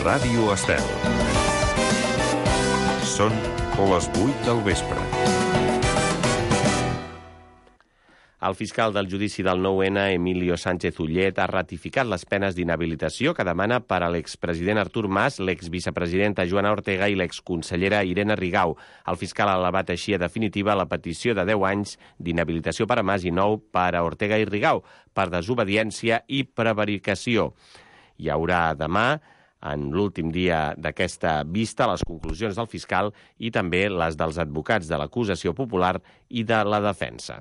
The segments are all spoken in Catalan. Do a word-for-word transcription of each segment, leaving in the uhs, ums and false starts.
Ràdio Estel. Són les vuit del vespre. El fiscal del judici del nou ene, Emilio Sánchez Ullet, ha ratificat les penes d'inhabilitació que demana per a l'expresident Artur Mas, l'exvicepresidenta Joana Ortega i l'exconsellera Irene Rigau. El fiscal ha elevat així a definitiva la petició de deu anys d'inhabilitació per a Mas i nou per a Ortega i Rigau per desobediència i prevaricació. Hi haurà demà, en l'últim dia d'aquesta vista, les conclusions del fiscal i també les dels advocats de l'acusació popular i de la defensa.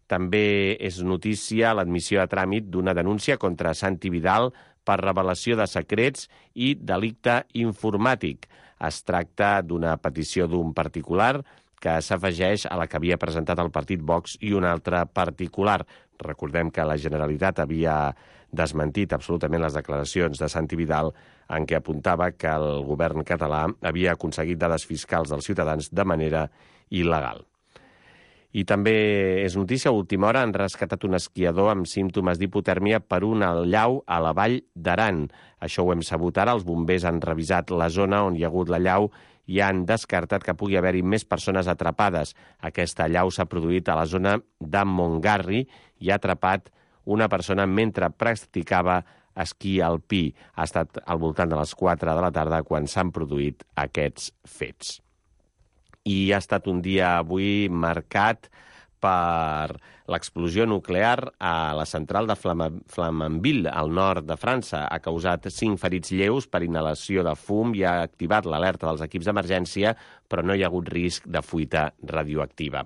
També és notícia l'admissió a tràmit d'una denúncia contra Santi Vidal per revelació de secrets i delicte informàtic. Es tracta d'una petició d'un particular que s'afegeix a la que havia presentat el partit Vox i un altre particular. Recordem que la Generalitat havia desmentit absolutament les declaracions de Santi Vidal en què apuntava que el govern català havia aconseguit dades fiscals dels ciutadans de manera il·legal. I també és notícia, a última hora han rescatat un esquiador amb símptomes d'hipotèrmia per un allau a la vall d'Aran. Això ho hem sabut ara, els bombers han revisat la zona on hi ha hagut l'allau i han descartat que pugui haver-hi més persones atrapades. Aquesta allau s'ha produït a la zona de Montgarri i ha atrapat una persona mentre practicava esquí alpí. Ha estat al voltant de les quatre de la tarda quan s'han produït aquests fets. I ha estat un dia avui marcat per l'explosió nuclear a la central de Flamanville, al nord de França. Ha causat cinc ferits lleus per inhalació de fum i ha activat l'alerta dels equips d'emergència, però no hi ha hagut risc de fuita radioactiva.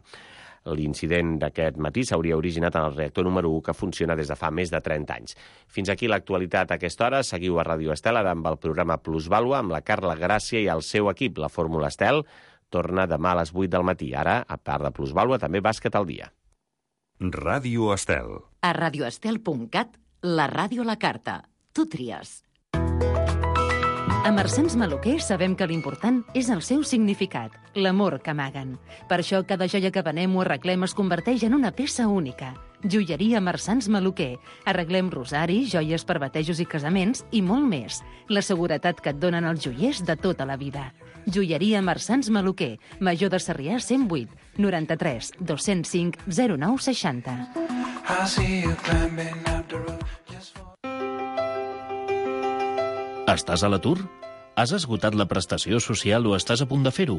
L'incident d'aquest matí s'hauria originat en el reactor número u, que funciona des de fa més de trenta anys. Fins aquí l'actualitat a aquesta hora. Seguiu a Ràdio Estel amb el programa Plusvàlua amb la Carla Gràcia i el seu equip. La Fórmula Estel torna demà a les vuit del matí. Ara, a part de Plusvàlua, també bàsquet al dia. Ràdio Estel. A radioestel punt cat, la ràdio a la carta. Tu tries. A Marsans Maluquer sabem que l'important és el seu significat, l'amor que amaguen. Per això cada joia que venem o arreglem es converteix en una peça única. Joieria Marsans Maluquer. Arreglem rosaris, joies per batejos i casaments i molt més. La seguretat que et donen els joiers de tota la vida. Joieria Marsans Maluquer. Major de Sarrià cent vuit, noranta-tres, dos-cents cinc, zero nou seixanta. Estàs a l'atur? Has esgotat la prestació social o estàs a punt de fer-ho?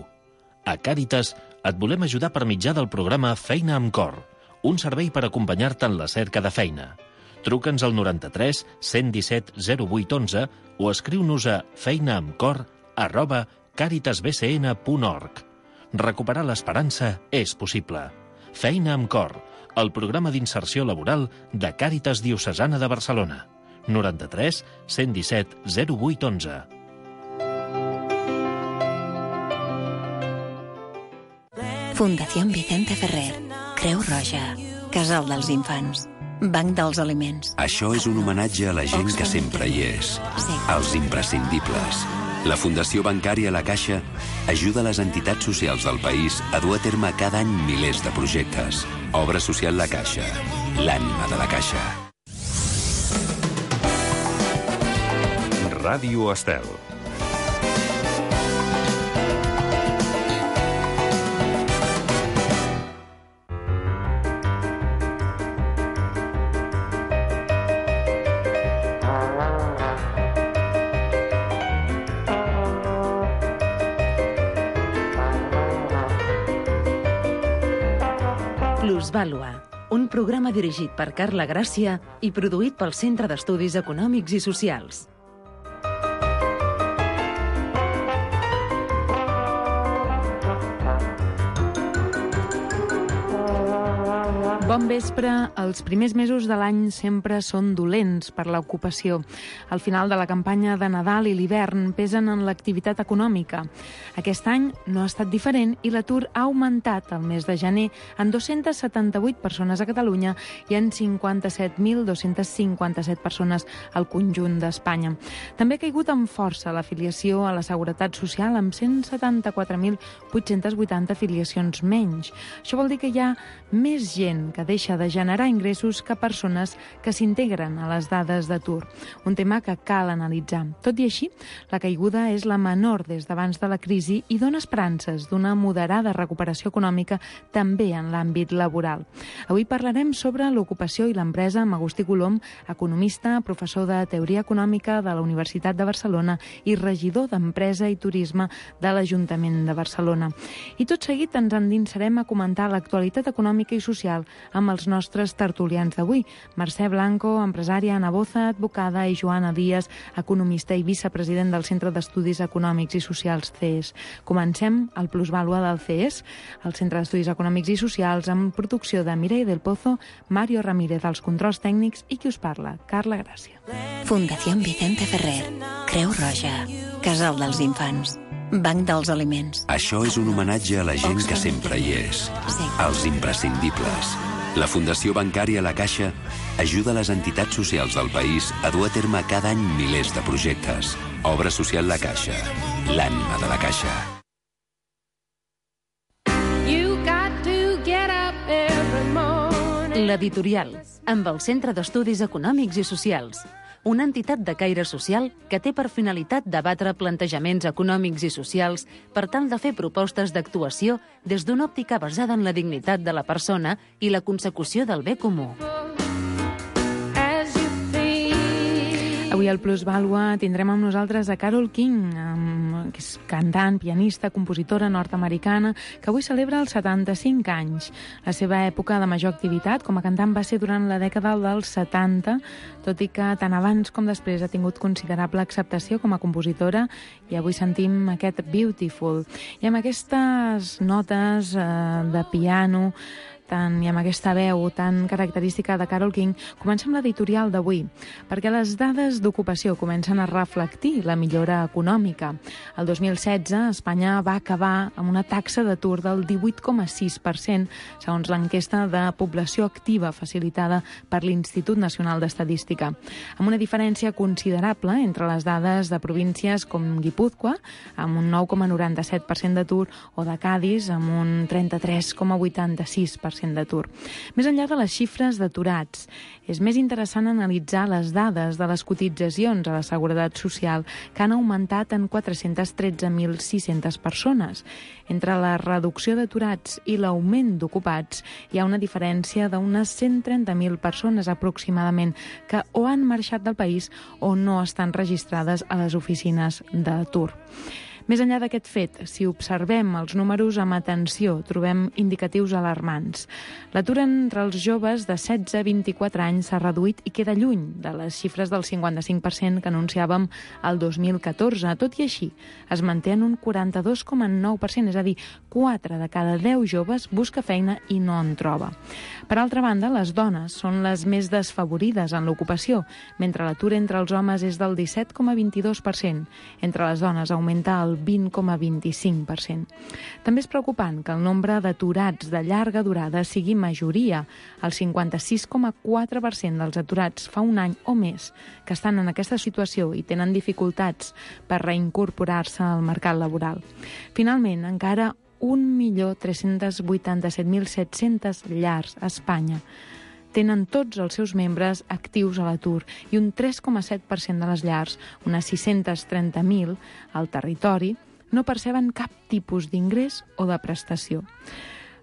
A Càritas et volem ajudar per mitjà del programa Feina amb Cor, un servei per acompanyar-te en la cerca de feina. Truca'ns al noranta-tres, cent disset, zero vuit onze o escriu-nos a feinaamcor arroba caritasbcn punt org. Recuperar l'esperança és possible. Feina amb Cor, el programa d'inserció laboral de Càritas Diocesana de Barcelona. noranta-tres, cent disset, zero vuit onze. Fundación Vicente Ferrer, Creu Roja, Casal dels Infants, Banc dels Aliments. Això és un homenatge a la gent que sempre hi és, als imprescindibles. La Fundació Bancària La Caixa ajuda les entitats socials del país a dur a terme cada any milers de projectes. Obra social La Caixa, l'ànima de la Caixa. Ràdio Estel. Plusvàlua, un programa dirigit per Carla Gràcia i produït pel Centre d'Estudis Econòmics i Socials. Bon vespre. Els primers mesos de l'any sempre són dolents per l'ocupació. Al final de la campanya de Nadal i l'hivern pesen en l'activitat econòmica. Aquest any no ha estat diferent i l'atur ha augmentat el mes de gener en dos-centes setanta-vuit persones a Catalunya i en cinquanta-set mil dos-cents cinquanta-set persones al conjunt d'Espanya. També ha caigut amb força l'afiliació a la Seguretat Social amb cent setanta-quatre mil vuit-cents vuitanta afiliacions menys. Això vol dir que hi ha més gent que que deixa de generar ingressos que persones que s'integren a les dades d'atur. Un tema que cal analitzar. Tot i així, la caiguda és la menor des d'abans de la crisi i dona esperances d'una moderada recuperació econòmica també en l'àmbit laboral. Avui parlarem sobre l'ocupació i l'empresa amb Agustí Colom, economista, professor de Teoria Econòmica de la Universitat de Barcelona i regidor d'Empresa i Turisme de l'Ajuntament de Barcelona. I tot seguit ens endinsarem a comentar l'actualitat econòmica i social amb els nostres tertulians d'avui. Mercè Blanco, empresària, Ana Boza, advocada, i Joan Elias, economista i vicepresident del Centre d'Estudis Econòmics i Socials C E S. Comencem el Plusvàlua del C E S, el Centre d'Estudis Econòmics i Socials, amb producció de Mireia del Pozo, Mario Ramírez als controls tècnics i qui us parla, Carla Gràcia. Fundació Vicente Ferrer, Creu Roja, Casal dels Infants, Banc dels Aliments. Això és un homenatge a la gent que sempre hi és, als imprescindibles. La Fundació Bancària La Caixa ajuda les entitats socials del país a dur a terme cada any milers de projectes. Obra social La Caixa, l'ànima de la Caixa. L'Editorial, amb el Centre d'Estudis Econòmics i Socials, una entitat de caire social que té per finalitat debatre plantejaments econòmics i socials per tal de fer propostes d'actuació des d'una òptica basada en la dignitat de la persona i la consecució del bé comú. Avui al Plusvàlua tindrem amb nosaltres a Carole King, que és cantant, pianista, compositora nord-americana, que avui celebra els setanta-cinc anys. La seva època de major activitat com a cantant va ser durant la dècada dels setanta, tot i que tant abans com després ha tingut considerable acceptació com a compositora, i avui sentim aquest Beautiful. I amb aquestes notes eh, de piano tant, i amb aquesta veu tan característica de Carole King, comencem l'editorial d'avui, perquè les dades d'ocupació comencen a reflectir la millora econòmica. El dos mil setze, Espanya va acabar amb una taxa d'atur del divuit coma sis per cent, segons l'enquesta de població activa facilitada per l'Institut Nacional d'Estadística, amb una diferència considerable entre les dades de províncies com Guipúzcoa, amb un nou coma noranta-set per cent d'atur, o de Cadis, amb un trenta-tres coma vuitanta-sis per cent d'atur. Més enllà de les xifres d'aturats, és més interessant analitzar les dades de les cotitzacions a la Seguretat Social, que han augmentat en quatre-cents tretze mil sis-centes persones. Entre la reducció d'aturats i l'augment d'ocupats hi ha una diferència d'unes cent trenta mil persones aproximadament que o han marxat del país o no estan registrades a les oficines d'atur. Més enllà d'aquest fet, si observem els números amb atenció, trobem indicatius alarmants. L'atur entre els joves de setze a vint-i-quatre anys s'ha reduït i queda lluny de les xifres del cinquanta-cinc per cent que anunciàvem el dos mil catorze. Tot i així, es manté en un quaranta-dos coma nou per cent, és a dir, quatre de cada deu joves busca feina i no en troba. Per altra banda, les dones són les més desfavorides en l'ocupació, mentre l'atur entre els homes és del disset coma vint-i-dos per cent. Entre les dones augmenta el vint coma vint-i-cinc per cent. També és preocupant que el nombre d'aturats de llarga durada sigui majoria. El cinquanta-sis coma quatre per cent dels aturats fa un any o més que estan en aquesta situació i tenen dificultats per reincorporar-se al mercat laboral. Finalment, encara un milió tres-cents vuitanta-set mil set-centes llars a Espanya tenen tots els seus membres actius a l'atur i un tres coma set per cent de les llars, unes sis-cents trenta mil al territori, no perceben cap tipus d'ingrés o de prestació.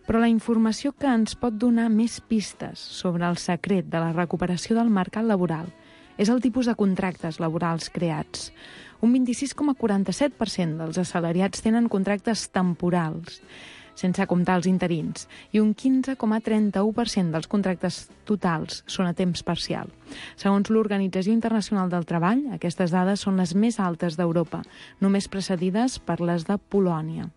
Però la informació que ens pot donar més pistes sobre el secret de la recuperació del mercat laboral és el tipus de contractes laborals creats. Un vint-i-sis coma quaranta-set per cent dels assalariats tenen contractes temporals, sense comptar els interins, i un quinze coma trenta-u per cent dels contractes totals són a temps parcial. Segons l'Organització Internacional del Treball, aquestes dades són les més altes d'Europa, només precedides per les de Polònia.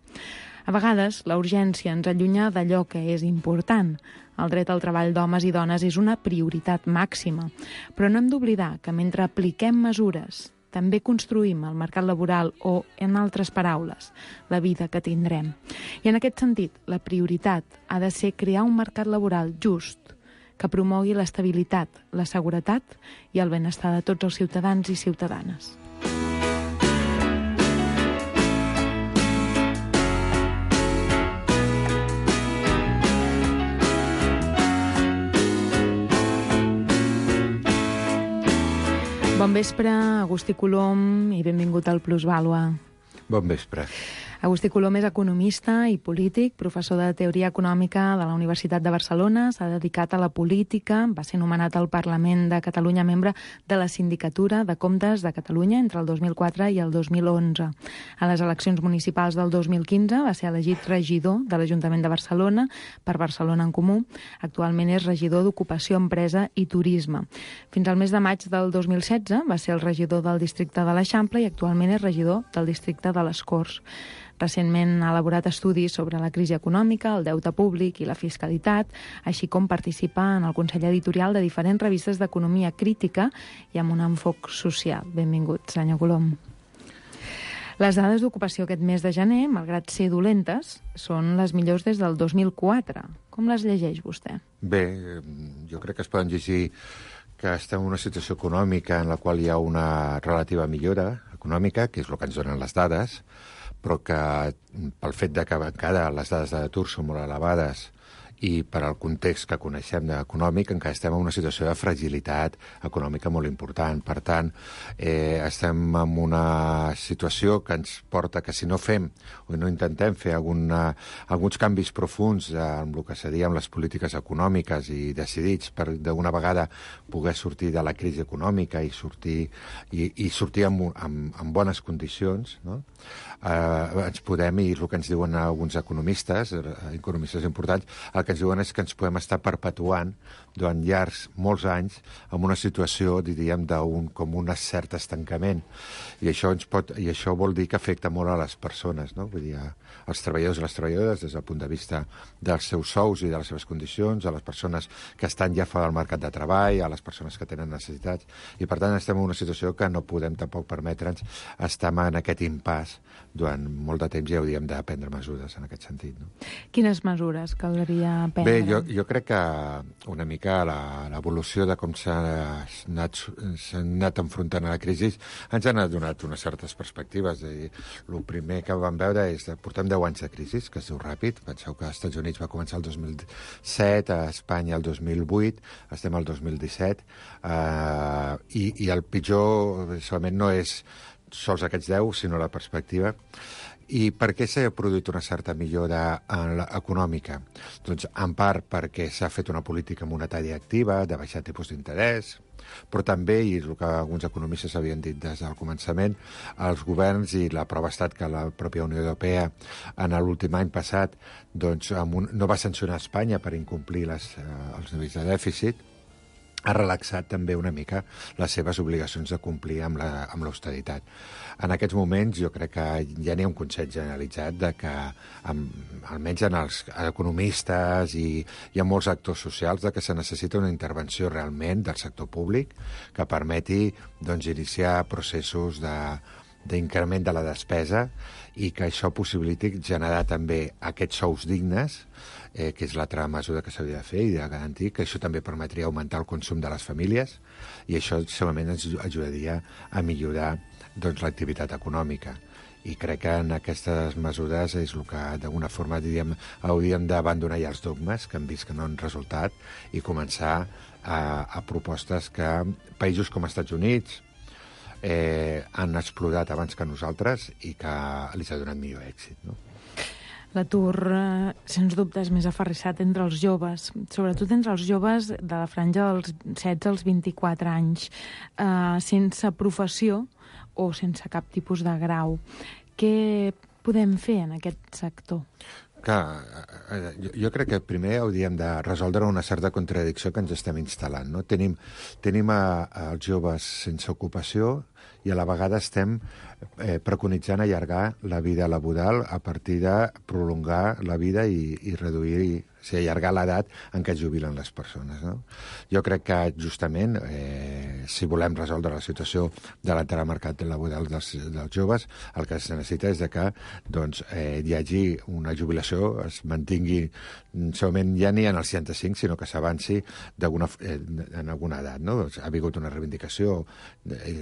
A vegades, la urgència ens allunya d'allò que és important. El dret al treball d'homes i dones és una prioritat màxima, però no hem d'oblidar que mentre apliquem mesures també construïm el mercat laboral o, en altres paraules, la vida que tindrem. I en aquest sentit, la prioritat ha de ser crear un mercat laboral just que promogui l'estabilitat, la seguretat i el benestar de tots els ciutadans i ciutadanes. Bon vespre, Agustí Colom, i benvingut al Plusvàlua. Bon vespre. Agustí Colom és economista i polític, professor de Teoria Econòmica de la Universitat de Barcelona, s'ha dedicat a la política, va ser nomenat al Parlament de Catalunya membre de la Sindicatura de Comptes de Catalunya entre el dos mil quatre i el dos mil onze. A les eleccions municipals del dos mil quinze va ser elegit regidor de l'Ajuntament de Barcelona per Barcelona en Comú. Actualment és regidor d'Ocupació, Empresa i Turisme. Fins al mes de maig del dos mil setze va ser el regidor del districte de l'Eixample i actualment és regidor del districte de les Corts. Recentment ha elaborat estudis sobre la crisi econòmica, el deute públic i la fiscalitat, així com participa en el Consell Editorial de diferents revistes d'economia crítica i amb un enfoc social. Benvingut, senyor Colom. Les dades d'ocupació aquest mes de gener, malgrat ser dolentes, són les millors des del dos mil quatre. Com les llegeix vostè? Bé, jo crec que es poden llegir que estem en una situació econòmica en la qual hi ha una relativa millora econòmica, que és el que ens donen les dades, però que pel fet de que encara les dades d'atur són molt elevades i per al context que coneixem d'econòmic, encara estem en una situació de fragilitat econòmica molt important. Per tant, eh, estem en una situació que ens porta que si no fem o no intentem fer alguna, alguns canvis profuns amb el que seria amb les polítiques econòmiques i decidits per d'una vegada poder sortir de la crisi econòmica i sortir, i, i sortir amb, amb, amb bones condicions, no? Eh, ens podem, i el que ens diuen alguns economistes, economistes importants, el que ens diuen és que ens podem estar perpetuant durant llargs, molts anys, en una situació, diríem, d'un com un cert estancament. I això, ens pot, i això vol dir que afecta molt a les persones, no? Vull dir, als treballadors i les treballadores des del punt de vista dels seus sous i de les seves condicions, a les persones que estan ja fora del mercat de treball, a les persones que tenen necessitats. I, per tant, estem en una situació que no podem tampoc permetre'ns estar en aquest impàs durant molt de temps i hauríem de prendre mesures en aquest sentit. No? Quines mesures caldria prendre? Bé, jo, jo crec que una mica l'evolució de com s'ha anat, anat enfrontant a la crisi ens ha donat unes certes perspectives. I el primer que vam veure és que portem deu anys de crisi, que es diu ràpid. Penseu que als Estats Units va començar el dos mil set, a Espanya el dos mil vuit, estem al dos mil disset, eh, i, i el pitjor solament no és sols aquests deu, sinó la perspectiva. I per què s'ha produït una certa millora econòmica? Doncs en part perquè s'ha fet una política monetària activa, de baixar tipus d'interès, però també, i el que alguns economistes havien dit des del començament, els governs, i la prova ha estat que la pròpia Unió Europea en l'últim any passat doncs, un, no va sancionar Espanya per incomplir les, eh, els nivells de dèficit, ha relaxat també una mica les seves obligacions de complir amb l'austeritat. En aquests moments jo crec que ja n'hi ha un consens generalitzat de que, amb, almenys en els economistes i, i en molts actors socials, de que se necessita una intervenció realment del sector públic que permeti doncs, iniciar processos de d'increment de la despesa i que això possibiliti generar també aquests sous dignes, eh, que és l'altra mesura que s'hauria de fer i de garantir que això també permetria augmentar el consum de les famílies i això segurament ens ajudaria a millorar doncs, l'activitat econòmica. I crec que en aquestes mesures és el que d'alguna forma diríem, hauríem d'abandonar ja els dogmes que hem vist que no han resultat i començar a, a propostes que països com els Estats Units eh, han explorat abans que nosaltres i que els ha donat millor èxit, no? L'atur, eh, sens dubte, és més aferrissat entre els joves, sobretot entre els joves de la franja dels setze als vint-i-quatre anys, eh, sense professió o sense cap tipus de grau. Què podem fer en aquest sector? Clar, jo, jo crec que primer hauríem de resoldre una certa contradicció que ens estem instal·lant, no? Tenim, tenim a, a els joves sense ocupació i a la vegada estem eh, preconitzant allargar la vida laboral a partir de prolongar la vida i, i reduir, i, o sigui, allargar l'edat en què es jubilen les persones, no? Jo crec que justament, eh, si volem resoldre la situació de l'entrada al mercat laboral dels, dels joves, el que es necessita és de que doncs, eh, hi hagi una jubilació, es mantingui solament ja ni en els seixanta-cinc, sinó que s'avanci eh, en alguna edat, no? Ha hagut una reivindicació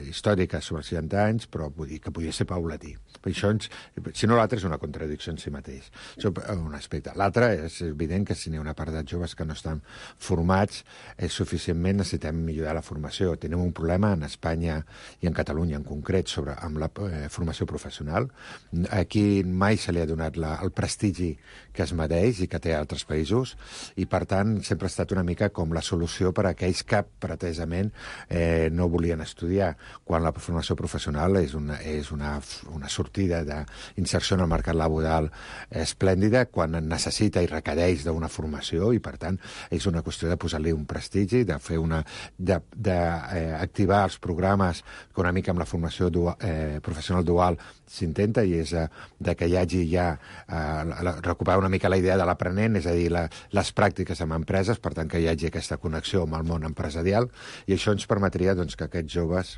històrica s'aplica sobre seixanta anys, però vull dir que podria ser paulatí. Per això, ens, si no, l'altre és una contradicció en si mateix. Això un aspecte. L'altre és evident que si n'hi ha una part de joves que no estan formats eh, suficientment, necessitem millorar la formació. Tenim un problema en Espanya i en Catalunya en concret sobre amb la eh, formació professional. Aquí mai se li ha donat la, el prestigi que es mereix i que té a altres països, i per tant sempre ha estat una mica com la solució per a aquells que pretesament eh, no volien estudiar, quan la formació professional és una, és una, una sortida d'inserció en el mercat laboral esplèndida, quan necessita i requereix d'una formació, i per tant és una qüestió de posar-li un prestigi, de fer una d'activar eh, els programes que una mica amb la formació dual, eh, professional dual s'intenta, i és eh, de que hi hagi ja eh, la, recuperar una mica la idea de l'aprenent, és a dir, la, les pràctiques amb empreses, per tant que hi hagi aquesta connexió amb el món empresarial, i això ens permetria doncs, que aquests joves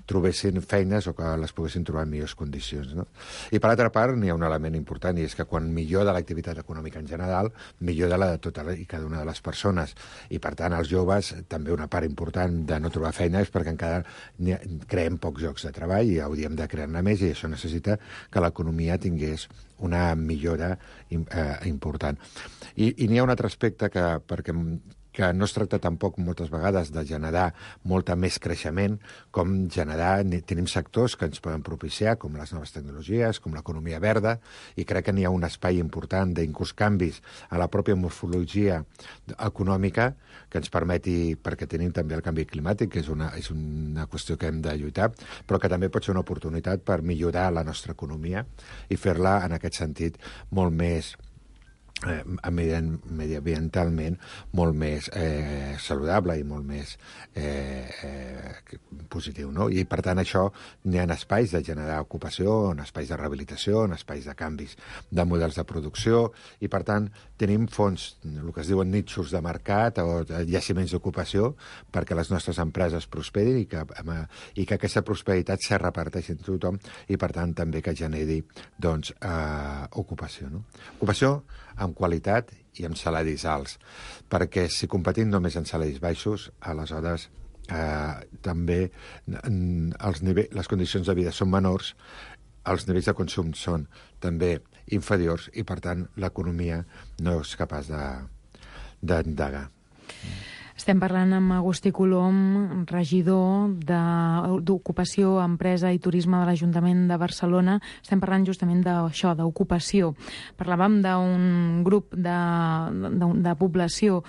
trobessin feines o que les poguessin trobar en millors condicions. No? I per altra part, n'hi ha un element important, i és que quan millora l'activitat econòmica en general, millora la de tota i cada una de les persones, i per tant els joves, també una part important de no trobar feina és perquè encara creem pocs llocs de treball i hauríem de crear-ne més, i això necessita que l'economia tingués una millora eh, important. I, i n'hi ha un altre aspecte que, perquè que no es tracta tampoc moltes vegades de generar molta més creixement, com generar, tenim sectors que ens poden propiciar, com les noves tecnologies, com l'economia verda, i crec que n'hi ha un espai important d'inclús canvis a la pròpia morfologia econòmica que ens permeti, perquè tenim també el canvi climàtic, que és una, és una qüestió que hem de lluitar, però que també pot ser una oportunitat per millorar la nostra economia i fer-la, en aquest sentit, molt més Eh, mediambientalment molt més eh, saludable i molt més eh, eh, positiu, no? I per tant això n'hi ha espais de generar ocupació, en espais de rehabilitació, en espais de canvis de models de producció, i per tant tenim fons, el que es diuen nitxos de mercat o jaciments d'ocupació perquè les nostres empreses prosperin i que, i que aquesta prosperitat se reparteixi entre tothom, i per tant també que generi doncs, eh, ocupació, no? Ocupació amb qualitat i amb salaris alts, perquè si competim només en salaris baixos, aleshores eh, també els nivell, les condicions de vida són menors, els nivells de consum són també inferiors, i per tant l'economia no és capaç d'endegar. Estem parlant amb Agustí Colom, regidor d'Ocupació, Empresa i Turisme de l'Ajuntament de Barcelona. Estem parlant justament d'això, d'ocupació. Parlàvem d'un grup de, de, de població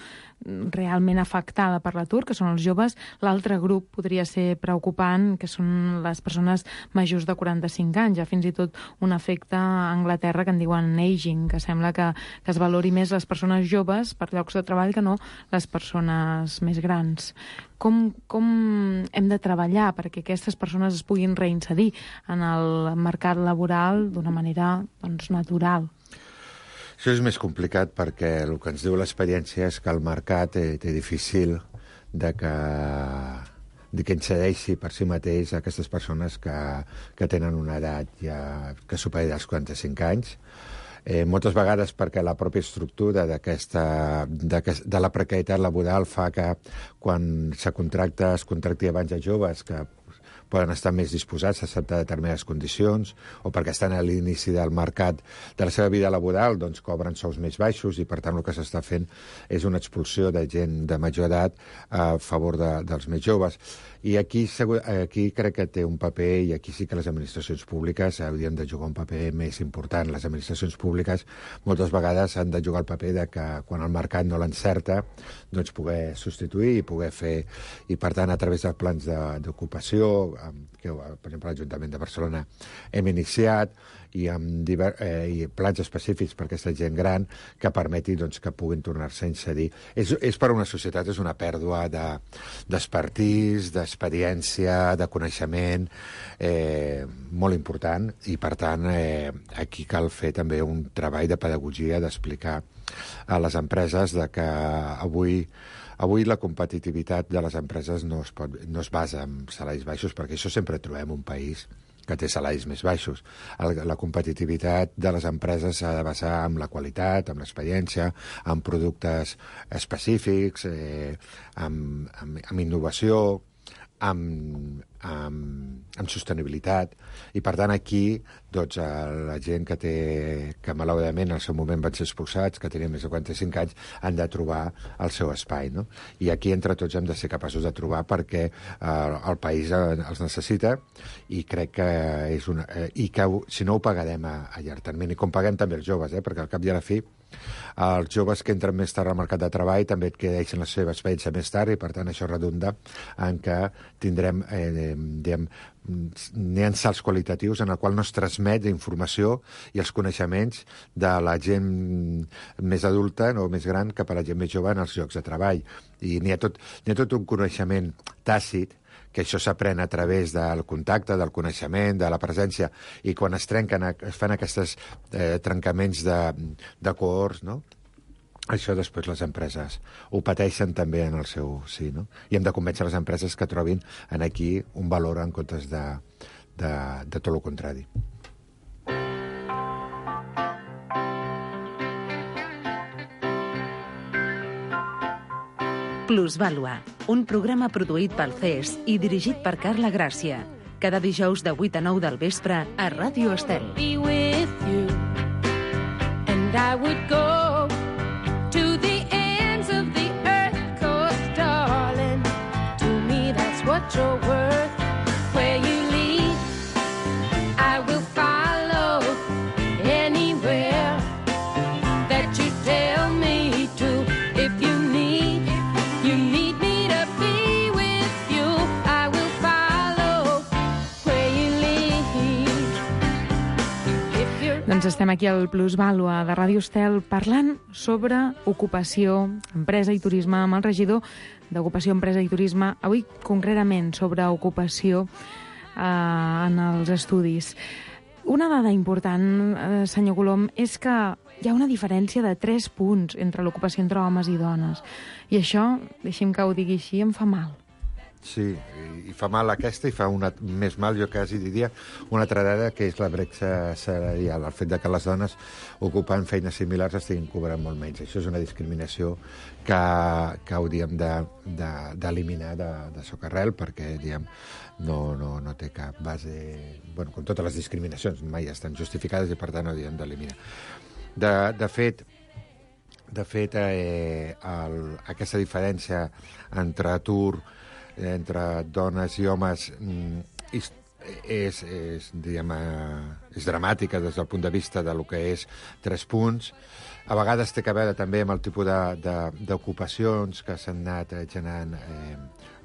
realment afectada per l'atur, que són els joves. L'altre grup podria ser preocupant, que són les persones majors de quaranta-cinc anys. Hi ha fins i tot un efecte a Anglaterra que en diuen aging, que sembla que, que es valori més les persones joves per llocs de treball que no les persones més grans. Com, com hem de treballar perquè aquestes persones es puguin reinserir en el mercat laboral d'una manera doncs, natural? Això és més complicat perquè el que ens diu l'experiència és que el mercat té, té difícil de que, de que incedeixi per si mateix a aquestes persones que, que tenen una edat ja que superi els quaranta-cinc anys. Eh, moltes vegades perquè la pròpia estructura d'aquesta de, de la precarietat laboral fa que quan se contracta, es contracti abans a joves que poden estar més disposats a acceptar determinades condicions, o perquè estan a l'inici del mercat de la seva vida laboral, doncs cobren sous més baixos, i per tant el que s'està fent és una expulsió de gent de major edat a favor de, dels més joves. I aquí, aquí crec que té un paper, i aquí sí que les administracions públiques haurien de jugar un paper més important. Les administracions públiques moltes vegades han de jugar el paper de que quan el mercat no l'encerta, doncs poder substituir i poder fer, i per tant a través dels plans d'ocupació, que per exemple l'Ajuntament de Barcelona hem iniciat, i amb diver, eh, i plans específics per aquesta gent gran que permeti doncs, que puguin tornar-se a inserir. És, és per a una societat, és una pèrdua d'expertís, de, d'experiència, de coneixement eh, molt important, i per tant eh, aquí cal fer també un treball de pedagogia, d'explicar a les empreses de que avui Avui la competitivitat de les empreses no es, pot, no es basa en salaris baixos, perquè això sempre trobem un país que té salaris més baixos. El, la competitivitat de les empreses s'ha de basar en la qualitat, en l'experiència, en productes específics, eh, amb, amb, amb innovació, amb, amb, amb sostenibilitat, i per tant aquí doncs, la gent que té, que malauradament en el seu moment van ser expulsats, que tenien més de quaranta-cinc anys, han de trobar el seu espai, no? I aquí entre tots hem de ser capaços de trobar perquè eh, el país els necessita, i crec que és una... Eh, i que si no ho pagarem a, a llarg termini, com paguem també els joves, eh, perquè al cap i a la fi els joves que entren més tard al mercat de treball també et deixen la seva experiència més tard, i per tant això redunda en que tindrem eh, diguem, n'hi ha salts qualitatius en el qual no es transmet informació i els coneixements de la gent més adulta o més gran cap a la gent més jove en els llocs de treball. I n'hi ha tot, n'hi ha tot un coneixement tàcit, que això s'aprèn a través del contacte, del coneixement, de la presència, i quan es trenquen, es fan aquests eh, trencaments de, de cohorts, no? Això després les empreses ho pateixen també en el seu sí, no? I hem de convèncer les empreses que trobin en aquí un valor en comptes de, de, de tot el contrari. Plusvàlua, un programa produït pel C E S i dirigit per Carla Gràcia. Cada dijous de vuit a nou del vespre a Ràdio Estel. Be with you, and I would go to the ends of the earth, 'cause darling, to me that's what you're worth. Where you lead, I will follow anywhere that you tell me to. If you need, you need me to be with you, I will follow where you lead. If you're... Doncs estem aquí al Plusvàlua de Ràdio Estel parlant sobre ocupació, empresa i turisme amb el regidor d'Ocupació, Empresa i Turisme, avui concretament sobre ocupació eh, en els estudis. Una dada important, eh, senyor Colom, és que hi ha una diferència de tres punts entre l'ocupació entre homes i dones. I això, deixi'm que ho digui així, em fa mal. Sí, i fa mal aquesta i fa una, més mal, jo quasi diria, una altra dada, que és la bretxa salarial, el fet de que les dones ocupant feines similars estiguin cobrant molt menys. Això és una discriminació que, que hauríem d'eliminar de, de, de socarrel, perquè diguem, no, no, no té cap base... Bueno, com totes les discriminacions, mai estan justificades i per tant hauríem d'eliminar. De, de fet, de fet eh, el, aquesta diferència entre atur entre dones i homes és, és, és, diguem, és dramàtica des del punt de vista de lo que és tres punts. A vegades té a veure també amb el tipus d'ocupacions que s'han anat generant, eh,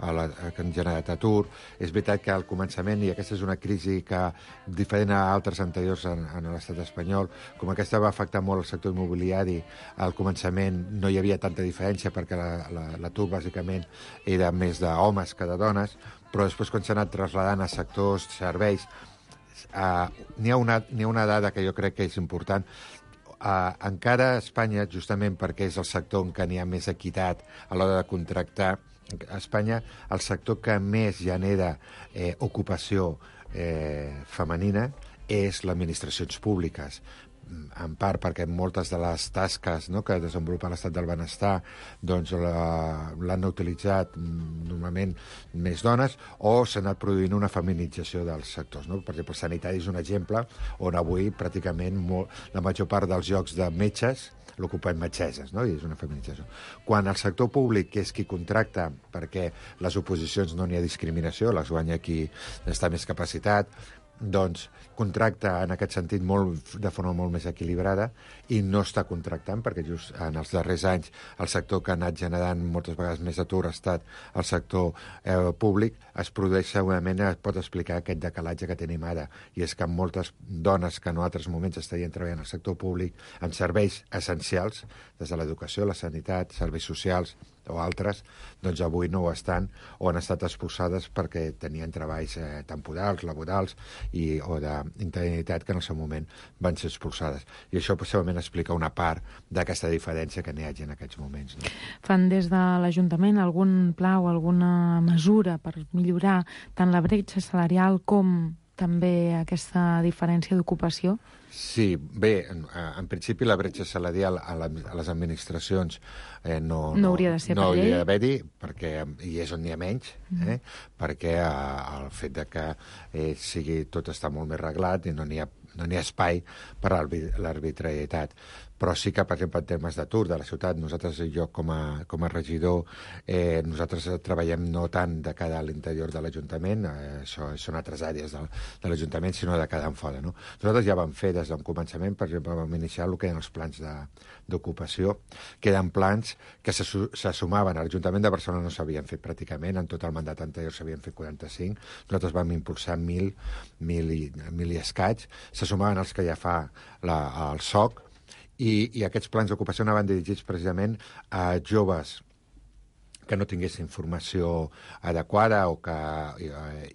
a la, que han generat atur. És veritat que al començament, i aquesta és una crisi que, diferent a altres anteriors en, en l'estat espanyol, com aquesta va afectar molt el sector immobiliari, al començament no hi havia tanta diferència perquè l'atur la, la, bàsicament era més d'homes que de dones, però després quan s'ha anat trasladant a sectors, serveis, eh, n'hi ha, una, n'hi ha una dada que jo crec que és important. Uh, encara a Espanya, justament perquè és el sector en què n'hi ha més equitat a l'hora de contractar, a Espanya el sector que més genera eh, ocupació eh, femenina és les administracions públiques, en part perquè moltes de les tasques, no, que desenvolupa l'estat del benestar doncs l'han utilitzat normalment més dones, o s'ha anat produint una feminització dels sectors, no? Per exemple, el sanitari és un exemple on avui pràcticament molt, la major part dels llocs de metges l'ocupen metgesses, no? I és una feminització. Quan el sector públic, que és qui contracta, perquè les oposicions no n'hi ha discriminació, les guanya qui està més capacitat, doncs contracta en aquest sentit molt, de forma molt més equilibrada, i no està contractant, perquè just en els darrers anys el sector que ha anat generant moltes vegades més atur ha estat el sector eh, públic. Es produeix segurament, es pot explicar aquest decalatge que tenim ara, i és que moltes dones que en altres moments estarien treballant al sector públic en serveis essencials, des de l'educació, la sanitat, serveis socials o altres, doncs avui no ho estan, o han estat expulsades perquè tenien treballs eh, temporals, laborals i, o d'interinitat que en el seu moment van ser expulsades. I això possiblement explica una part d'aquesta diferència que n'hi hagi en aquests moments. No? Fan des de l'Ajuntament algun pla o alguna mesura per millorar tant la bretxa salarial com també aquesta diferència d'ocupació? Sí, bé, en, en principi la bretxa salarial a, la, a les administracions eh, no, no hauria de ser no per llei. hauria d'haver-hi, perquè hi és on n'hi ha menys, eh? mm. perquè eh, el fet de que eh, sigui tot està molt més reglat i no n'hi ha, no n'hi ha espai per a l'arbitrarietat. Però sí que, per exemple, en termes d'atur de la ciutat, nosaltres, jo com a, com a regidor, eh, nosaltres treballem no tant de cara a l'interior de l'Ajuntament, eh, això són altres àrees de, de l'Ajuntament, sinó de cada en fora. No? Nosaltres ja vam fer des d'un començament, per exemple, vam iniciar el que eren els plans d'ocupació, que eren plans que se, se sumaven. A l'Ajuntament de Barcelona no s'havien fet pràcticament, en tot el mandat anterior s'havien fet quaranta-cinc, nosaltres vam impulsar mil, mil, i, mil i escaig, se sumaven els que ja fa la, el S O C, I, i aquests plans d'ocupació anaven dirigits precisament a joves que no tinguessin formació adequada o que, i,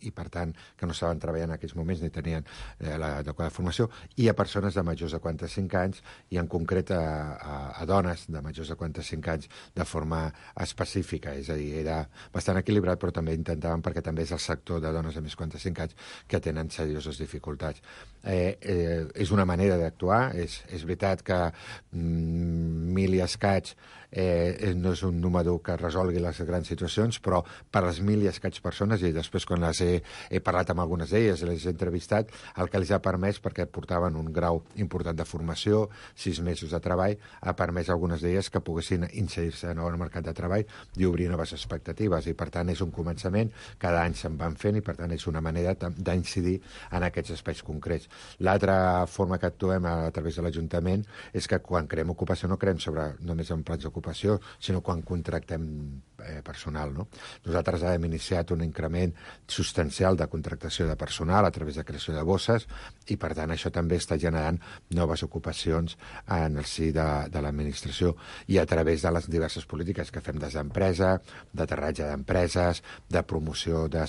i per tant, que no estaven treballant en aquells moments ni tenien eh, l'adequada formació, i a persones de majors de quaranta-cinc anys, i en concret a, a, a dones de majors de quaranta-cinc anys de forma específica. És a dir, era bastant equilibrat, però també intentàvem, perquè també és el sector de dones de més de quaranta-cinc anys que tenen serioses dificultats. Eh, eh, és una manera d'actuar, és, és veritat que mm, mil i escaig eh, no és un número que resolgui les grans situacions, però per les mil i escaig persones, i després quan les he, he parlat amb algunes d'elles, les he entrevistat, el que els ha permès, perquè portaven un grau important de formació, sis mesos de treball, ha permès a algunes d'elles que poguessin inserir-se en el mercat de treball i obrir noves expectatives, i per tant és un començament, cada any se'n van fent, i per tant és una manera d'incidir en aquests espais concrets. L'altra forma que actuem a, a través de l'Ajuntament és que quan creem ocupació no creem sobre només en plans d'ocupació, sinó quan contractem eh, personal. No? Nosaltres hem iniciat un increment substancial de contractació de personal a través de creació de bosses, i per tant això també està generant noves ocupacions en el si de, de l'administració, i a través de les diverses polítiques que fem des d'empresa, d'aterratge d'empreses, de promoció de,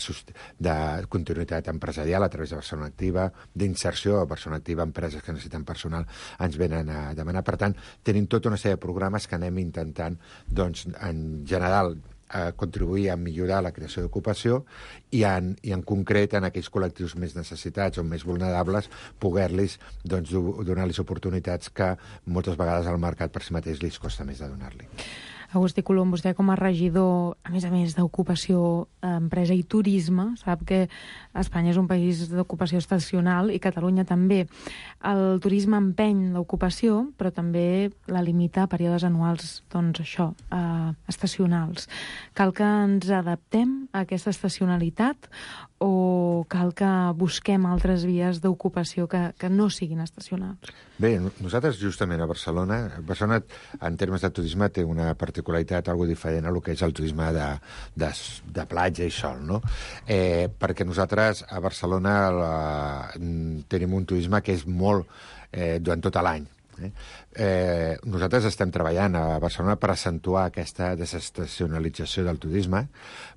de continuïtat empresarial a través de Barcelona Activa, d'inserció a Barcelona Activa, empreses que necessiten personal ens venen a demanar. Per tant, tenim tota una sèrie de programes que anem intentant, doncs, en general, a contribuir a millorar la creació d'ocupació, i en, i en concret en aquells col·lectius més necessitats o més vulnerables poder-los, doncs, donar-los oportunitats que moltes vegades al mercat per si mateix li costa més de donar-li. Agustí Colom, vostè com a regidor, a més a més d'ocupació, empresa i turisme, sap que Espanya és un país d'ocupació estacional i Catalunya també. El turisme empeny l'ocupació, però també la limita a períodes anuals, doncs això, eh, estacionals. Cal que ens adaptem a aquesta estacionalitat o cal que busquem altres vies d'ocupació que, que no siguin estacionals? Bé, nosaltres justament a Barcelona, Barcelona en termes de turisme té una particularitat algo diferent a lo que és el turisme de, de, de platja i sol, no? Eh, perquè nosaltres a Barcelona la, tenim un turisme que és molt eh, durant tot l'any. Eh? Eh, nosaltres estem treballant a Barcelona per accentuar aquesta desestacionalització del turisme,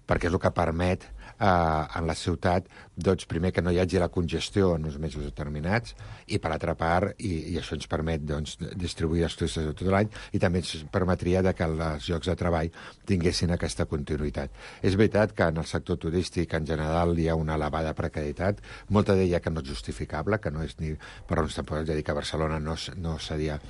perquè és el que permet eh, en la ciutat, doncs, primer que no hi hagi la congestió en uns mesos determinats, i per altra part, i, i això ens permet, doncs, distribuir els turistes de tot l'any, i també ens permetria de que els llocs de treball tinguessin aquesta continuïtat. És veritat que en el sector turístic en general hi ha una elevada precarietat, molta d'ella que no és justificable, que no és ni... però ens podem dir que a Barcelona no, no seria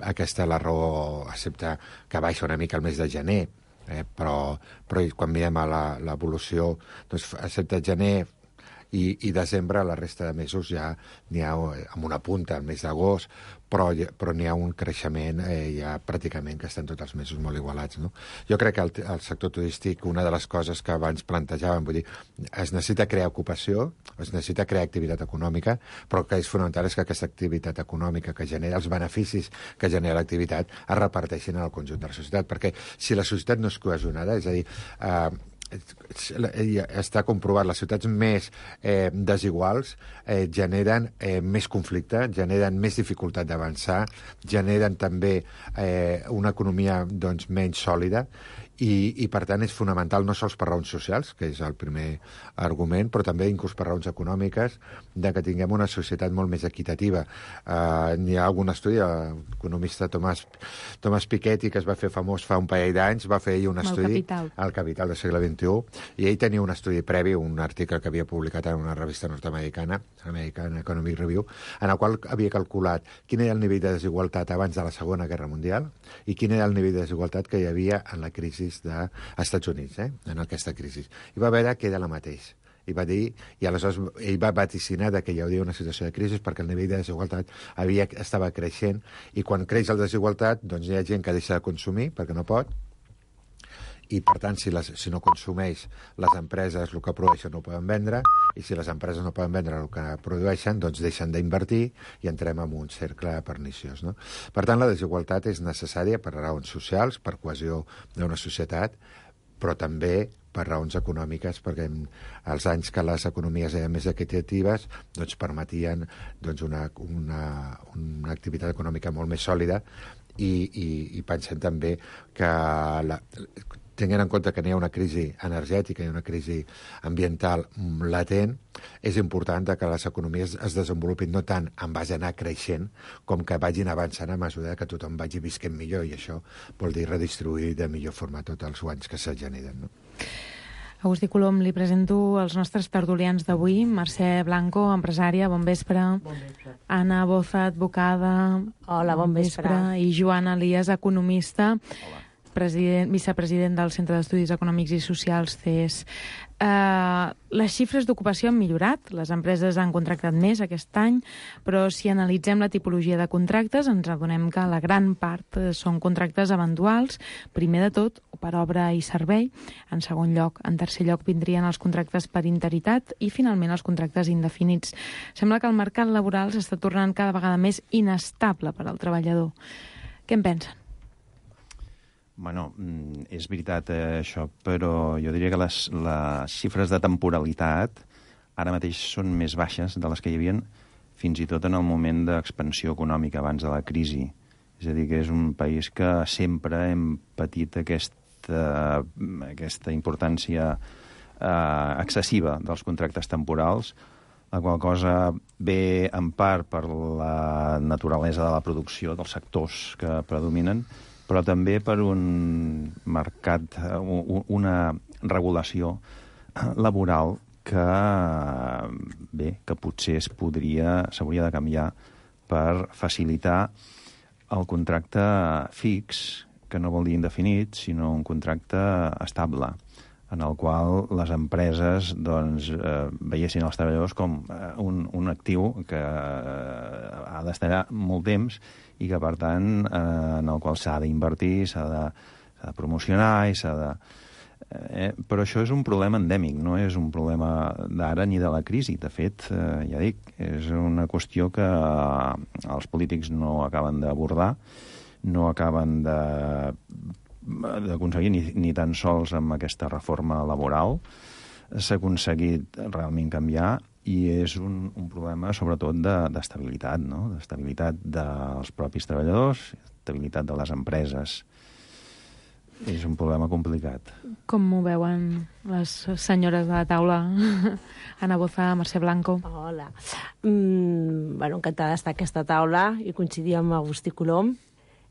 aquesta la raó, excepte que baixa una mica el mes de gener, eh, però, però quan mirem a l'evolució, doncs, excepte gener i, i desembre, la resta de mesos ja n'hi ha amb una punta, el mes d'agost, però, però n'hi ha un creixement eh, ja pràcticament que estan tots els mesos molt igualats. No? Jo crec que el, el sector turístic, una de les coses que abans plantejàvem, vull dir, es necessita crear ocupació, es necessita crear activitat econòmica, però el que és fonamental és que aquesta activitat econòmica que genera, els beneficis que genera l'activitat, es reparteixin en el conjunt de la societat, perquè si la societat no és cohesionada, és a dir, eh, està comprovat, les ciutats més eh, desiguals eh, generen eh, més conflicte, generen més dificultat d'avançar, generen també eh, una economia, doncs, menys sòlida, I, i per tant és fonamental no sols per raons socials, que és el primer argument, però també inclús per raons econòmiques, de que tinguem una societat molt més equitativa. Uh, n'hi ha algun estudi, l'economista Thomas, Thomas Piketty, que es va fer famós fa un parell d'anys, va fer ell un estudi... El Capital. El Capital del segle vint-i-u, i ell tenia un estudi previ, un article que havia publicat en una revista nord-americana, American Economic Review, en el qual havia calculat quin era el nivell de desigualtat abans de la Segona Guerra Mundial i quin era el nivell de desigualtat que hi havia en la crisi dels Estats Units, eh? En aquesta crisi. I va veure que era la mateix. I va dir, i aleshores ell va vaticinar que hi hauria una situació de crisi perquè el nivell de desigualtat havia, estava creixent, i quan creix la desigualtat, doncs hi ha gent que deixa de consumir perquè no pot, i per tant, si, les, si no consumeix, les empreses el que produeixen no ho poden vendre, i si les empreses no poden vendre el que produeixen, doncs deixen d'invertir i entrem en un cercle perniciós, no? Per tant, la desigualtat és necessària per raons socials, per cohesió d'una societat, però també per raons econòmiques, perquè els anys que les economies eren més equitatives doncs permetien doncs, una, una, una activitat econòmica molt més sòlida, i, i, i pensem també que la, tenint en compte que n'hi ha una crisi energètica i una crisi ambiental latent, és important que les economies es desenvolupin no tant en base a anar creixent, com que vagin avançant a mesura que tothom vagi visquent millor, i això vol dir redistribuir de millor forma tots els guanys que se generen, no? Agustí Colom, li presento els nostres tertulians d'avui. Mercè Blanco, empresària, bon vespre. Bon vespre. Anna Boza, advocada. Hola, bon vespre. I Joan Elias, economista. Hola. President, vicepresident del Centre d'Estudis Econòmics i Socials, C E S. Uh, les xifres d'ocupació han millorat, les empreses han contractat més aquest any, però si analitzem la tipologia de contractes ens adonem que la gran part són contractes eventuals, primer de tot per obra i servei, en segon lloc, en tercer lloc vindrien els contractes per interitat i finalment els contractes indefinits. Sembla que el mercat laboral s'està tornant cada vegada més inestable per al treballador. Què en pensen? Bueno, és veritat eh, això, però jo diria que les, les xifres de temporalitat ara mateix són més baixes de les que hi havia fins i tot en el moment d'expansió econòmica abans de la crisi. És a dir, que és un país que sempre hem patit aquesta, aquesta importància eh, excessiva dels contractes temporals, la qual cosa ve en part per la naturalesa de la producció dels sectors que predominen, però també per un mercat, una regulació laboral que, bé, que potser es podria, s'hauria de canviar per facilitar el contracte fix, que no vol dir indefinit, sinó un contracte estable, en el qual les empreses doncs, eh, veiessin els treballadors com eh, un, un actiu que eh, ha d'estar molt temps i que, per tant, eh, en el qual s'ha d'invertir, s'ha de, s'ha de promocionar i s'ha de... Eh, però això és un problema endèmic, no és un problema d'ara ni de la crisi. De fet, eh, ja dic, és una qüestió que eh, els polítics no acaben d'abordar, no acaben de d'aconseguir ni, ni tan sols amb aquesta reforma laboral. S'ha aconseguit realment canviar i és un, un problema sobretot d'estabilitat, de, no? D'estabilitat dels propis treballadors, estabilitat de les empreses. És un problema complicat. Com ho veuen les senyores de la taula? Anna Boza, Mercè Blanco. Hola. Mm, bueno, encantada d'estar a aquesta taula i coincidir amb Agustí Colom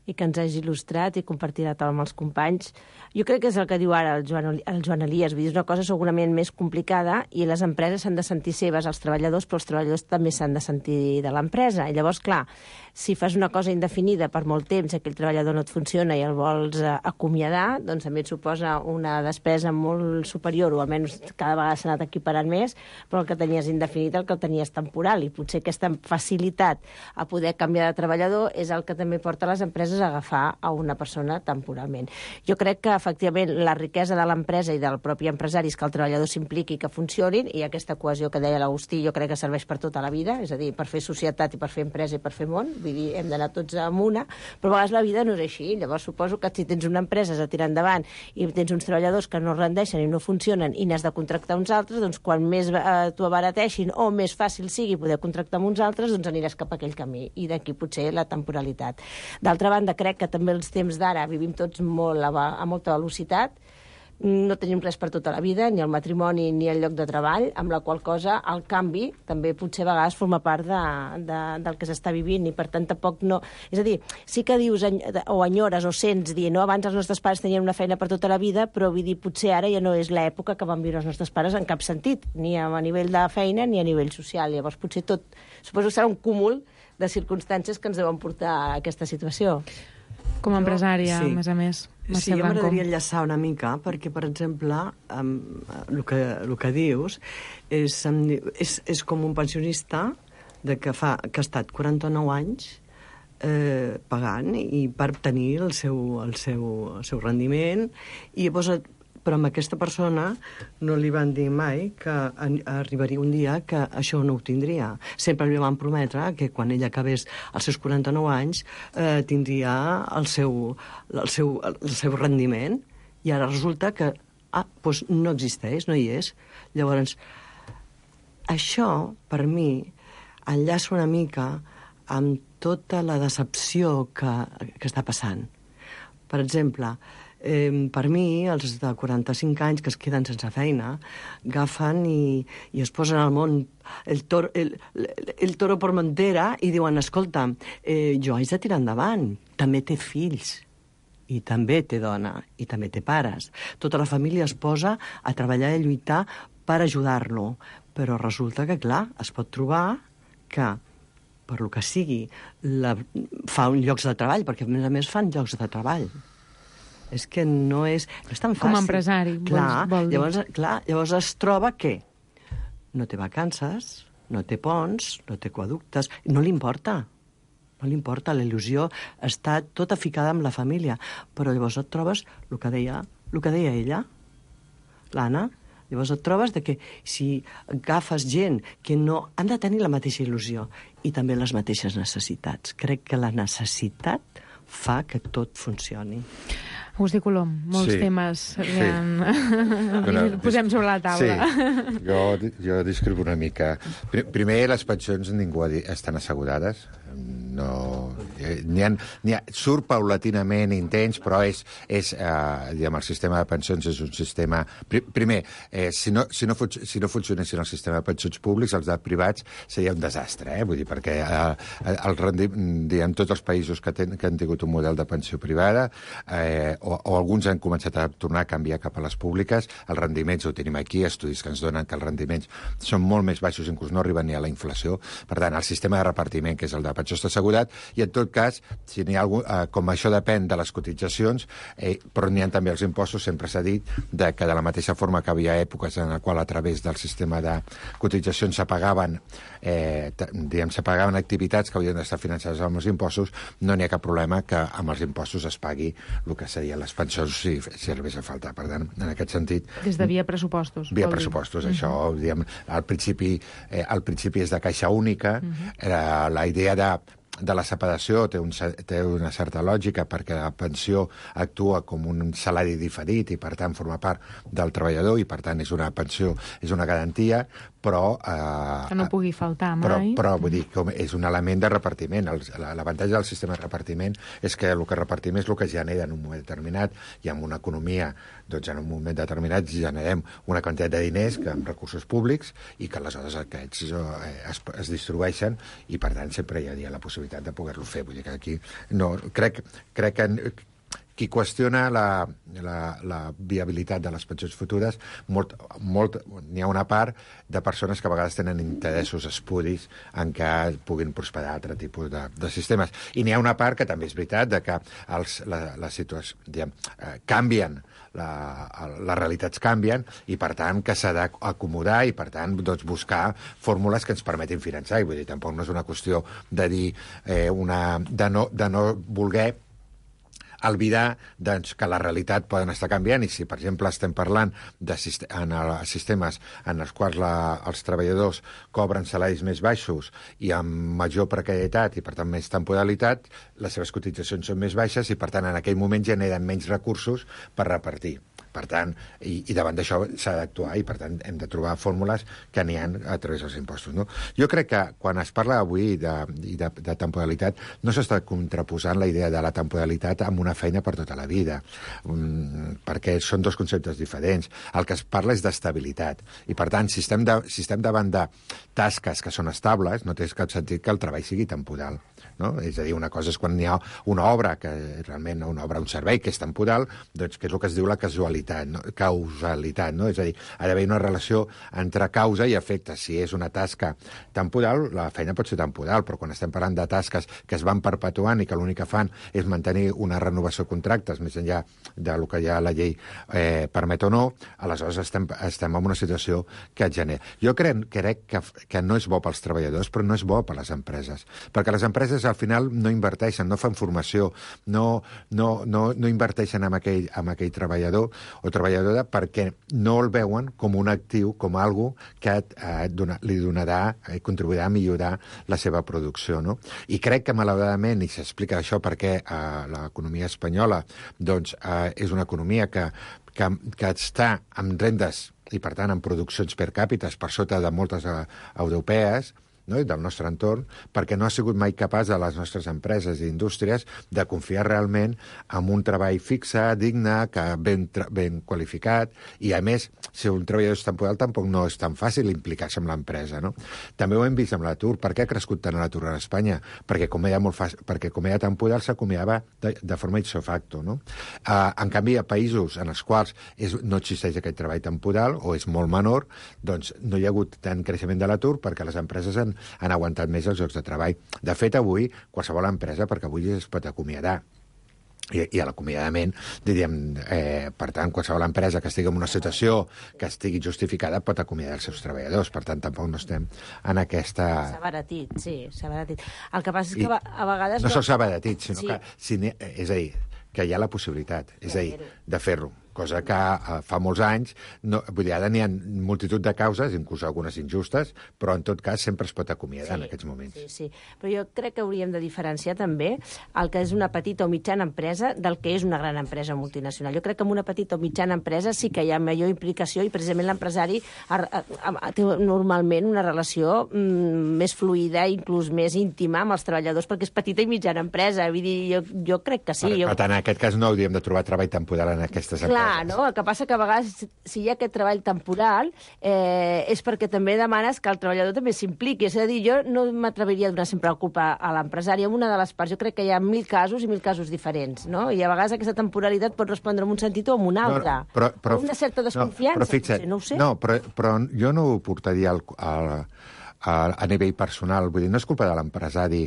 i que ens hagi il·lustrat i compartir la taula amb els companys. Jo crec que és el que diu ara el Joan, el Joan Elias, vull dir, és una cosa segurament més complicada i les empreses s'han de sentir seves, els treballadors, però els treballadors també s'han de sentir de l'empresa. I llavors, clar, si fas una cosa indefinida per molt temps, aquell treballador no et funciona i el vols eh, acomiadar, doncs també et suposa una despesa molt superior, o almenys cada vegada s'ha anat equiparant més, però el que tenies indefinit el que el tenies temporal, i potser aquesta facilitat a poder canviar de treballador és el que també porta les empreses a agafar a una persona temporalment. Jo crec que, efectivament, la riquesa de l'empresa i del propi empresari és que el treballador s'impliqui i que funcionin, i aquesta cohesió que deia l'Agustí jo crec que serveix per tota la vida, és a dir, per fer societat i per fer empresa i per fer món, vull dir, hem d'anar tots amb una, però a vegades la vida no és així. Llavors suposo que si tens una empresa a tirar endavant i tens uns treballadors que no rendeixen i no funcionen i n'has de contractar uns altres, doncs quan més eh, t'ho abarateixin o més fàcil sigui poder contractar amb uns altres, doncs aniràs cap a aquell camí, i d'aquí potser la temporalitat. D'altra banda, banda, crec que també els temps d'ara vivim tots molt a, a molta velocitat, no tenim res per tota la vida, ni el matrimoni ni el lloc de treball, amb la qual cosa el canvi també potser a vegades forma part de, de, del que s'està vivint i per tant tampoc no... És a dir, sí que dius o enyores o sents dir, no, abans els nostres pares tenien una feina per tota la vida, però vull dir, potser ara ja no és l'època que van viure els nostres pares en cap sentit, ni a nivell de feina ni a nivell social. Llavors potser tot, suposo que serà un cúmul de circumstàncies que ens deuen portar a aquesta situació. Com a empresària, sí. a més a més. Sí, jo m'agradaria enllaçar una mica, perquè, per exemple, um, el, que, el que dius és, és, és com un pensionista de que, fa, que ha estat quaranta-nou anys eh, pagant i per tenir el seu, el seu, el seu rendiment, i llavors però amb aquesta persona no li van dir mai que arribaria un dia que això no ho tindria. Sempre li van prometre que quan ella acabés els seus quaranta-nou anys eh, tindria el seu, el, seu, el seu rendiment, i ara resulta que ah, doncs no existeix, no hi és. Llavors, això, per mi, enllaça una mica amb tota la decepció que, que està passant. Per exemple, Eh, per mi, els de quaranta-cinc anys que es queden sense feina, agafen i, i es posen al món el, tor, el, el, el toro per montera i diuen, escolta, eh, jo haig de tirar endavant, també té fills, i també té dona, i també té pares. Tota la família es posa a treballar i a lluitar per ajudar-lo, però resulta que, clar, es pot trobar que per lo que sigui, la, fa un llocs de treball, perquè a més a més fan llocs de treball. És que no és, no és tan fàcil. Com a empresari, clar, vol dir. Llavors, clar, llavors es troba que no té vacances, no té ponts, no té aquaductes, no li importa. No li importa, la il·lusió està tota ficada amb la família. Però llavors et trobes el que deia, el que deia ella, l'Anna, llavors et trobes de que si agafes gent que no... han de tenir la mateixa il·lusió i també les mateixes necessitats. Crec que la necessitat fa que tot funcioni. Agustí Colom, molts sí, temes sí. Bueno, posem sobre la taula. Sí, jo, jo discrepo una mica. Primer, les pensions ningú ha dit, estan assegurades. No, n'hi ha, n'hi ha, surt paulatinament intents, però és, és eh, diguem, el sistema de pensions és un sistema... Primer, eh, si, no, si, no fun, si no funcionessin el sistema de pensions públics, els de privats seria un desastre, eh? Vull dir, perquè eh, el rendim, diguem, tots els països que, ten, que han tingut un model de pensió privada eh, o, o alguns han començat a tornar a canviar cap a les públiques, els rendiments ho tenim aquí, estudis que ens donen que els rendiments són molt més baixos, inclús no arriben ni a la inflació. Per tant, el sistema de repartiment, que és el de pensió està assegurat, i en tot cas, si n'hi ha algun, eh, com això depèn de les cotitzacions, eh, però n'hi ha també els impostos, sempre s'ha dit de que de la mateixa forma que havia èpoques en la qual a través del sistema de cotitzacions s'apagaven eh, diguem, s'apagaven activitats que haurien d'estar finançades amb els impostos, no n'hi ha cap problema que amb els impostos es pagui el que serien les pensions si, si arribés a faltar. Per tant, en aquest sentit... Des de via pressupostos. Via pressupostos, dir. Això, uh-huh. diguem, al principi, eh, al principi és de caixa única, uh-huh. era la idea de de la separació té, un, té una certa lògica perquè la pensió actua com un salari diferit i per tant forma part del treballador i per tant és una pensió, és una garantia, però... Eh, que no pugui faltar mai. Però, però vull dir, com és un element de repartiment. L'avantatge del sistema de repartiment és que el que repartim és el que genera en un moment determinat i en una economia, doncs en un moment determinat generem una quantitat de diners que amb recursos públics i que aleshores aquests eh, es, es distribueixen i per tant sempre hi ha la possibilitat de poder-lo fer. Vull dir que aquí no, crec, crec que qui qüestiona la, la, la viabilitat de les pensions futures, molt, molt, n'hi ha una part de persones que a vegades tenen interessos espuris en què puguin prosperar altre tipus de, de sistemes. I n'hi ha una part que també és veritat de que els, la, la situació, diguem, eh, canvien, la, les realitats canvien i, per tant, que s'ha d'acomodar i, per tant, doncs, buscar fórmules que ens permetin finançar. I vull dir, tampoc no és una qüestió de dir eh, una, de, no, de no voler albirar doncs, que la realitat poden estar canviant i si, per exemple, estem parlant de en sistemes en els quals la, els treballadors cobren salaris més baixos i amb major precarietat i, per tant, més temporalitat, les seves cotitzacions són més baixes i, per tant, en aquell moment generen menys recursos per repartir. per tant, i, i davant d'això s'ha d'actuar i, per tant, hem de trobar fórmules que n'hi ha a través dels impostos. No? Jo crec que quan es parla avui de, de, de temporalitat no s'està contraposant la idea de la temporalitat amb una feina per tota la vida, um, perquè són dos conceptes diferents. El que es parla és d'estabilitat i, per tant, si estem, de, si estem davant de tasques que són estables, no té cap sentit que el treball sigui temporal. No? És a dir, una cosa és quan hi ha una obra, que realment una obra, un servei que és temporal, doncs que és el que es diu la casualitat, no? causalitat, no? És a dir, ha d'haver una relació entre causa i efecte. Si és una tasca temporal, la feina pot ser temporal, però quan estem parlant de tasques que es van perpetuant i que l'únic que fan és mantenir una renovació de contractes més enllà del que ja la llei eh, permet o no, aleshores estem, estem en una situació que et genera. Jo crec, crec que, que no és bo pels treballadors, però no és bo per les empreses, perquè les empreses al final no inverteixen, no fan formació, no, no, no, no inverteixen en aquell, en aquell treballador o treballadora perquè no el veuen com un actiu, com algo que eh, dona, li donarà, eh, contribuirà a millorar la seva producció. No? I crec que, malauradament, i s'explica això perquè eh, l'economia espanyola doncs, eh, és una economia que, que, que està amb rendes i, per tant, amb produccions per càpites per sota de moltes eh, europees, no? del nostre entorn, perquè no ha sigut mai capaç de les nostres empreses i indústries de confiar realment en un treball fixe, digne, que ben, ben qualificat, i a més, si un treballador és temporal tampoc no és tan fàcil implicar-se amb l'empresa. No? També ho hem vist amb l'atur. Per què ha crescut tant l'atur a Espanya? Perquè com era, molt fàcil, perquè com era temporal s'acomiadava de, de forma ipso facto. No? Uh, en canvi, a països en els quals és, no existeix aquest treball temporal o és molt menor, doncs no hi ha hagut tant creixement de l'atur perquè les empreses han han aguantat més els llocs de treball. De fet, avui, qualsevol empresa, perquè avui es pot acomiadar, i, i a l'acomiadament, diríem, eh, per tant, qualsevol empresa que estigui en una situació que estigui justificada pot acomiadar els seus treballadors. Per tant, tampoc no estem en aquesta... S'ha abaratit, sí, s'ha abaratit. El que passa és que I a vegades... No, no... sols s'ha abaratit, sinó sí. que... Si és a dir, que hi ha la possibilitat, és a dir, de fer-ho. Cosa que uh, fa molts anys, no, vull dir, ara n'hi ha multitud de causes, inclús algunes injustes, però en tot cas sempre es pot acomiadar sí, en aquests moments. Sí, sí, però jo crec que hauríem de diferenciar també el que és una petita o mitjana empresa del que és una gran empresa multinacional. Jo crec que en una petita o mitjana empresa sí que hi ha major implicació i precisament l'empresari té normalment una relació mm, més fluida, inclús més íntima amb els treballadors, perquè és petita i mitjana empresa. Vull dir, jo, jo crec que sí. Per, jo... per tant, en aquest cas no hauríem de trobar treball temporal en aquestes empreses. Clar, no? El que passa que a vegades, si hi ha aquest treball temporal, eh, és perquè també demanes que el treballador també s'impliqui. És a dir, jo no m'atreviria a donar sempre la culpa a l'empresari en una de les parts. Jo crec que hi ha mil casos i mil casos diferents, no? I a vegades aquesta temporalitat pot respondre en un sentit o en un altre. No, però, però, una certa desconfiança, no, però fixa, potser, no ho sé. No, però, però jo no ho portaria al... al A, a nivell personal, vull dir, no és culpa de l'empresari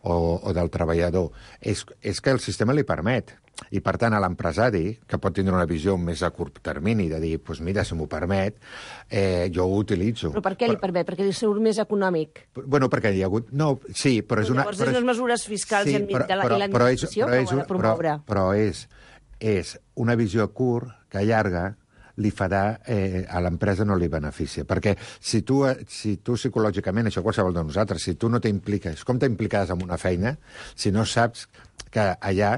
o, o del treballador, és, és que el sistema li permet. I, per tant, a l'empresari, que pot tindre una visió més a curt termini, de dir, doncs mira, si m'ho permet, eh, jo ho utilitzo. Però per què li permet? Perquè li surt més econòmic? Bueno, perquè hi ha hagut... No, sí, però és una... Llavors, és unes mesures fiscals sí, però, de la, però, i l'administració que ho ha de promoure. Però, però és, és una visió a curt que llarga li farà, eh, a l'empresa no li beneficia. Perquè si tu, si tu psicològicament, això qualsevol de nosaltres, si tu no t'impliques, com t'impliques en una feina, si no saps que allà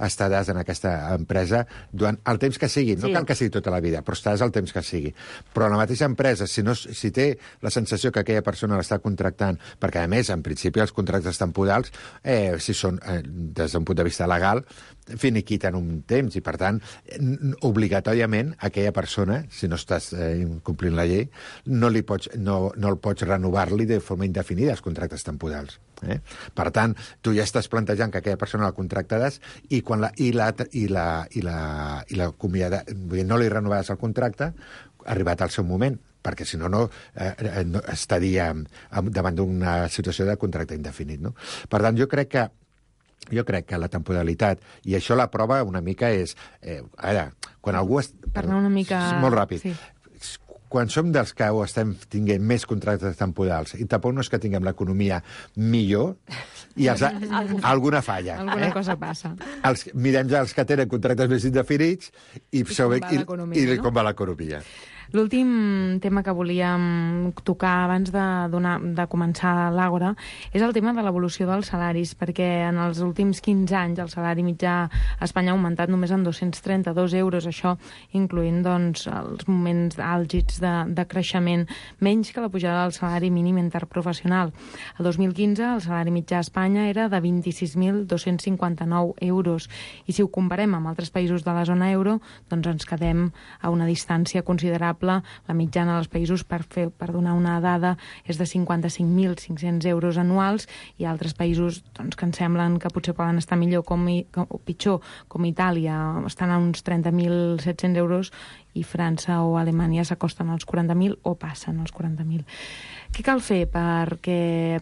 estaràs en aquesta empresa durant el temps que sigui, no sí. cal que sigui tota la vida, però estaràs el temps que sigui. Però la mateixa empresa, si, no, si té la sensació que aquella persona l'està contractant, perquè a més, en principi, els contractes temporals, eh, si són, eh, des d'un punt de vista legal, finiquiten un temps, i per tant, obligatòriament, aquella persona, si no estàs eh, complint la llei, no, li pots, no, no el pots renovar-li de forma indefinida els contractes temporals. Eh? Per tant, tu ja estàs plantejant que aquella persona la contractaràs i quan la, i la, i la, i la, i la acomiada, vull dir, no li renovaràs el contracte, arribat al seu moment, perquè si no, no, eh, no estaria davant d'una situació de contracte indefinit. No? Per tant, jo crec que jo crec que la temporalitat, i això la prova una mica és... Eh, ara, quan algú... Es, per anar una mica... Molt ràpid. Sí. Quan som dels que estem tinguent més contractes temporals, i tampoc no és que tinguem l'economia millor, i els, alguna falla. Alguna eh? cosa passa. Els, mirem ja els que tenen contractes més indefinits i, I, com, va i, i no? com va l'economia. L'últim tema que volíem tocar abans de, donar, de començar l'Àgora és el tema de l'evolució dels salaris, perquè en els últims quinze anys el salari mitjà a Espanya ha augmentat només en dos-cents trenta-dos euros, això incloent doncs, els moments àlgids de, de creixement, menys que la pujada del salari mínim interprofessional. El dos mil quinze el salari mitjà a Espanya era de vint-i-sis mil dos-cents cinquanta-nou euros, i si ho comparem amb altres països de la zona euro, doncs ens quedem a una distància considerable. La mitjana dels països, per, fer, per donar una dada, és de cinquanta-cinc mil cinc-cents euros anuals, i altres països doncs, que ens semblen que potser poden estar millor com, com, o pitjor, com Itàlia, estan a uns trenta mil set-cents euros, i França o Alemanya s'acosten als quaranta mil o passen als quaranta mil. Què cal fer? Perquè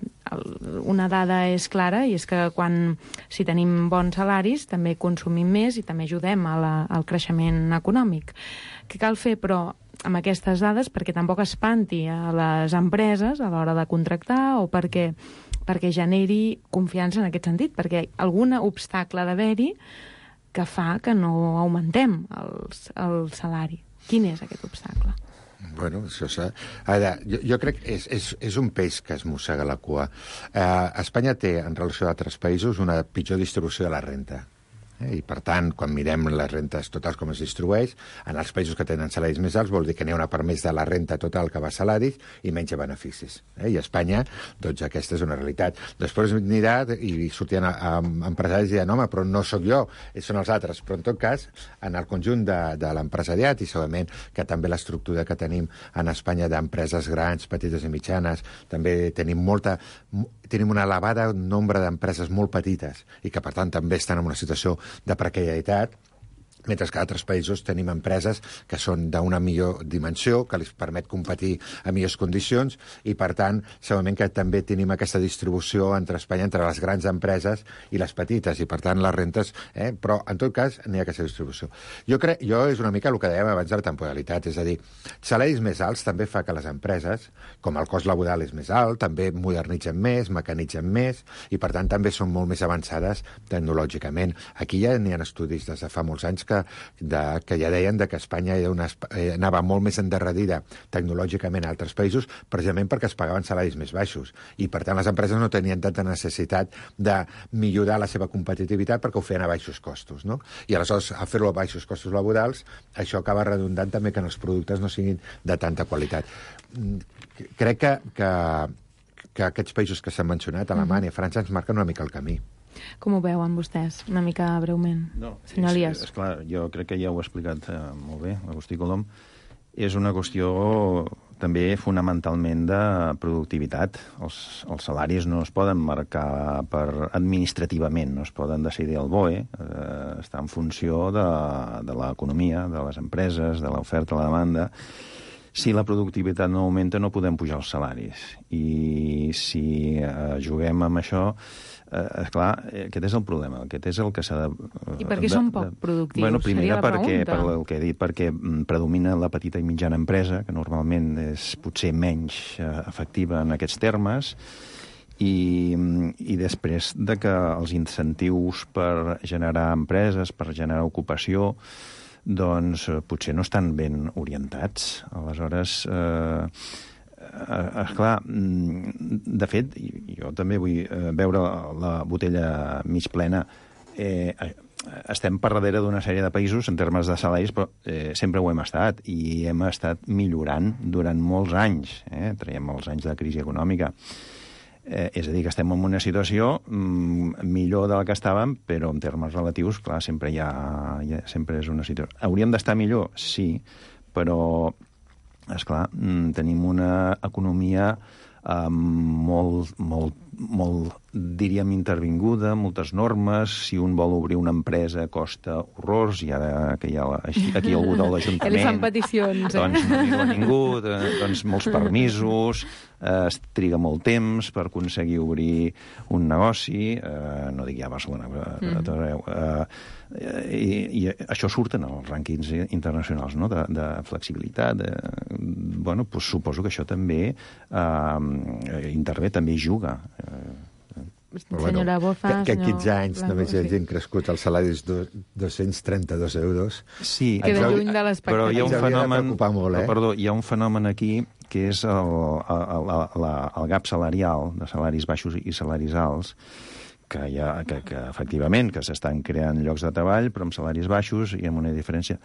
una dada és clara, i és que quan, si tenim bons salaris també consumim més i també ajudem a la, al creixement econòmic. Què cal fer, però, amb aquestes dades, perquè tampoc espanti a les empreses a l'hora de contractar, o perquè, perquè generi confiança en aquest sentit, perquè algun obstacle ha d'haver-hi que fa que no augmentem els, el salari. Quin és aquest obstacle? Bueno, això s'ha... Ara, jo, jo crec que és, és, és un peix que es mossega la cua. Eh, Espanya té, en relació a altres països, una pitjor distribució de la renta. Eh? I, per tant, quan mirem les rentes totals com es distribueix, en els països que tenen salaris més alts vol dir que n'hi ha una part més de la renta total que va a salaris i menys a beneficis. Eh? I a Espanya, doncs, aquesta és una realitat. Després anirà i sortien a, a, a empresaris i diran, home, però no sóc jo, són els altres. Però, en tot cas, en el conjunt de, de l'empresariat, i segurament que també l'estructura que tenim en Espanya d'empreses grans, petites i mitjanes, també tenim molta... tenim una elevada nombre d'empreses molt petites i que, per tant, també estan en una situació de precarietat, mentre que a altres països tenim empreses que són d'una millor dimensió, que els permet competir a millors condicions, i, per tant, segurament que també tenim aquesta distribució entre Espanya, entre les grans empreses i les petites, i, per tant, les rentes... Eh? Però, en tot cas, n'hi ha aquesta distribució. Jo crec, jo és una mica el que dèiem abans de la temporalitat, és a dir, salaris més alts també fa que les empreses, com el cost laboral és més alt, també modernitzen més, mecanitzen més, i, per tant, també són molt més avançades tecnològicament. Aquí ja n'hi ha estudis des de fa molts anys que, de, que ja deien de que Espanya era una, eh, anava molt més endarrerida tecnològicament a altres països, precisament perquè es pagaven salaris més baixos. I, per tant, les empreses no tenien tanta necessitat de millorar la seva competitivitat perquè ho feien a baixos costos, no? I, aleshores, a fer-ho a baixos costos laborals, això acaba redundant també que els productes no siguin de tanta qualitat. Crec que, que, que aquests països que s'han mencionat, Alemanya, França, ens marquen una mica el camí. Com ho veuen vostès, una mica breument? No, senyor Elias. És, és clar, jo crec que ja ho ha explicat eh, molt bé, Agustí Colom. És una qüestió també fonamentalment de productivitat. Els, els salaris no es poden marcar per administrativament, no es poden decidir al B O E, eh, està en funció de, de l'economia, de les empreses, de l'oferta, la demanda. Si la productivitat no augmenta, no podem pujar els salaris. I si eh, juguem amb això... Eh, esclar, aquest és el problema, aquest és el que s'ha de... I per què són poc productius? Bueno, primera, perquè, per el que he dit, perquè predomina la petita i mitjana empresa, que normalment és potser menys eh, efectiva en aquests termes, i, i després de que els incentius per generar empreses, per generar ocupació, doncs potser no estan ben orientats. Aleshores... Eh, Eh, esclar, de fet, jo també vull veure la botella mig plena. Eh, estem per darrere d'una sèrie de països en termes de salaris, però eh, sempre ho hem estat, i hem estat millorant durant molts anys. Eh? Traiem els anys de crisi econòmica. Eh, és a dir, que estem en una situació mm, millor de la que estàvem, però en termes relatius, clar, sempre, hi ha, hi ha, sempre és una situació. Hauríem d'estar millor? Sí, però... Esclar, tenim una economia eh, molt, molt, molt, diríem, intervinguda, moltes normes. Si un vol obrir una empresa costa horrors, i ara que hi ha la, aquí algú de l'Ajuntament... Li fan peticions, eh? Doncs no diu a ningú, doncs molts permisos, eh, es triga molt temps per aconseguir obrir un negoci, eh, no dic ja a Barcelona, però mm. a tot arreu. Eh, i, i això surt en els rànquings internacionals, no? de, de flexibilitat. De, bueno, doncs suposo que això també eh, intervé, també juga. Eh, senyora Boza, que, que en quinze senyor anys Blanco, només hi sí. hagin crescut els salaris de dos-cents trenta-dos euros. Sí, Queda ens lluny de l'expectativa. però hi ha un Ens hauria de fenomen, preocupar molt, eh? però, perdó, hi ha un fenomen aquí que és el, el, el, el, el gap salarial de salaris baixos i salaris alts, que, hi ha, que, que efectivament que s'estan creant llocs de treball, però amb salaris baixos i amb una diferència.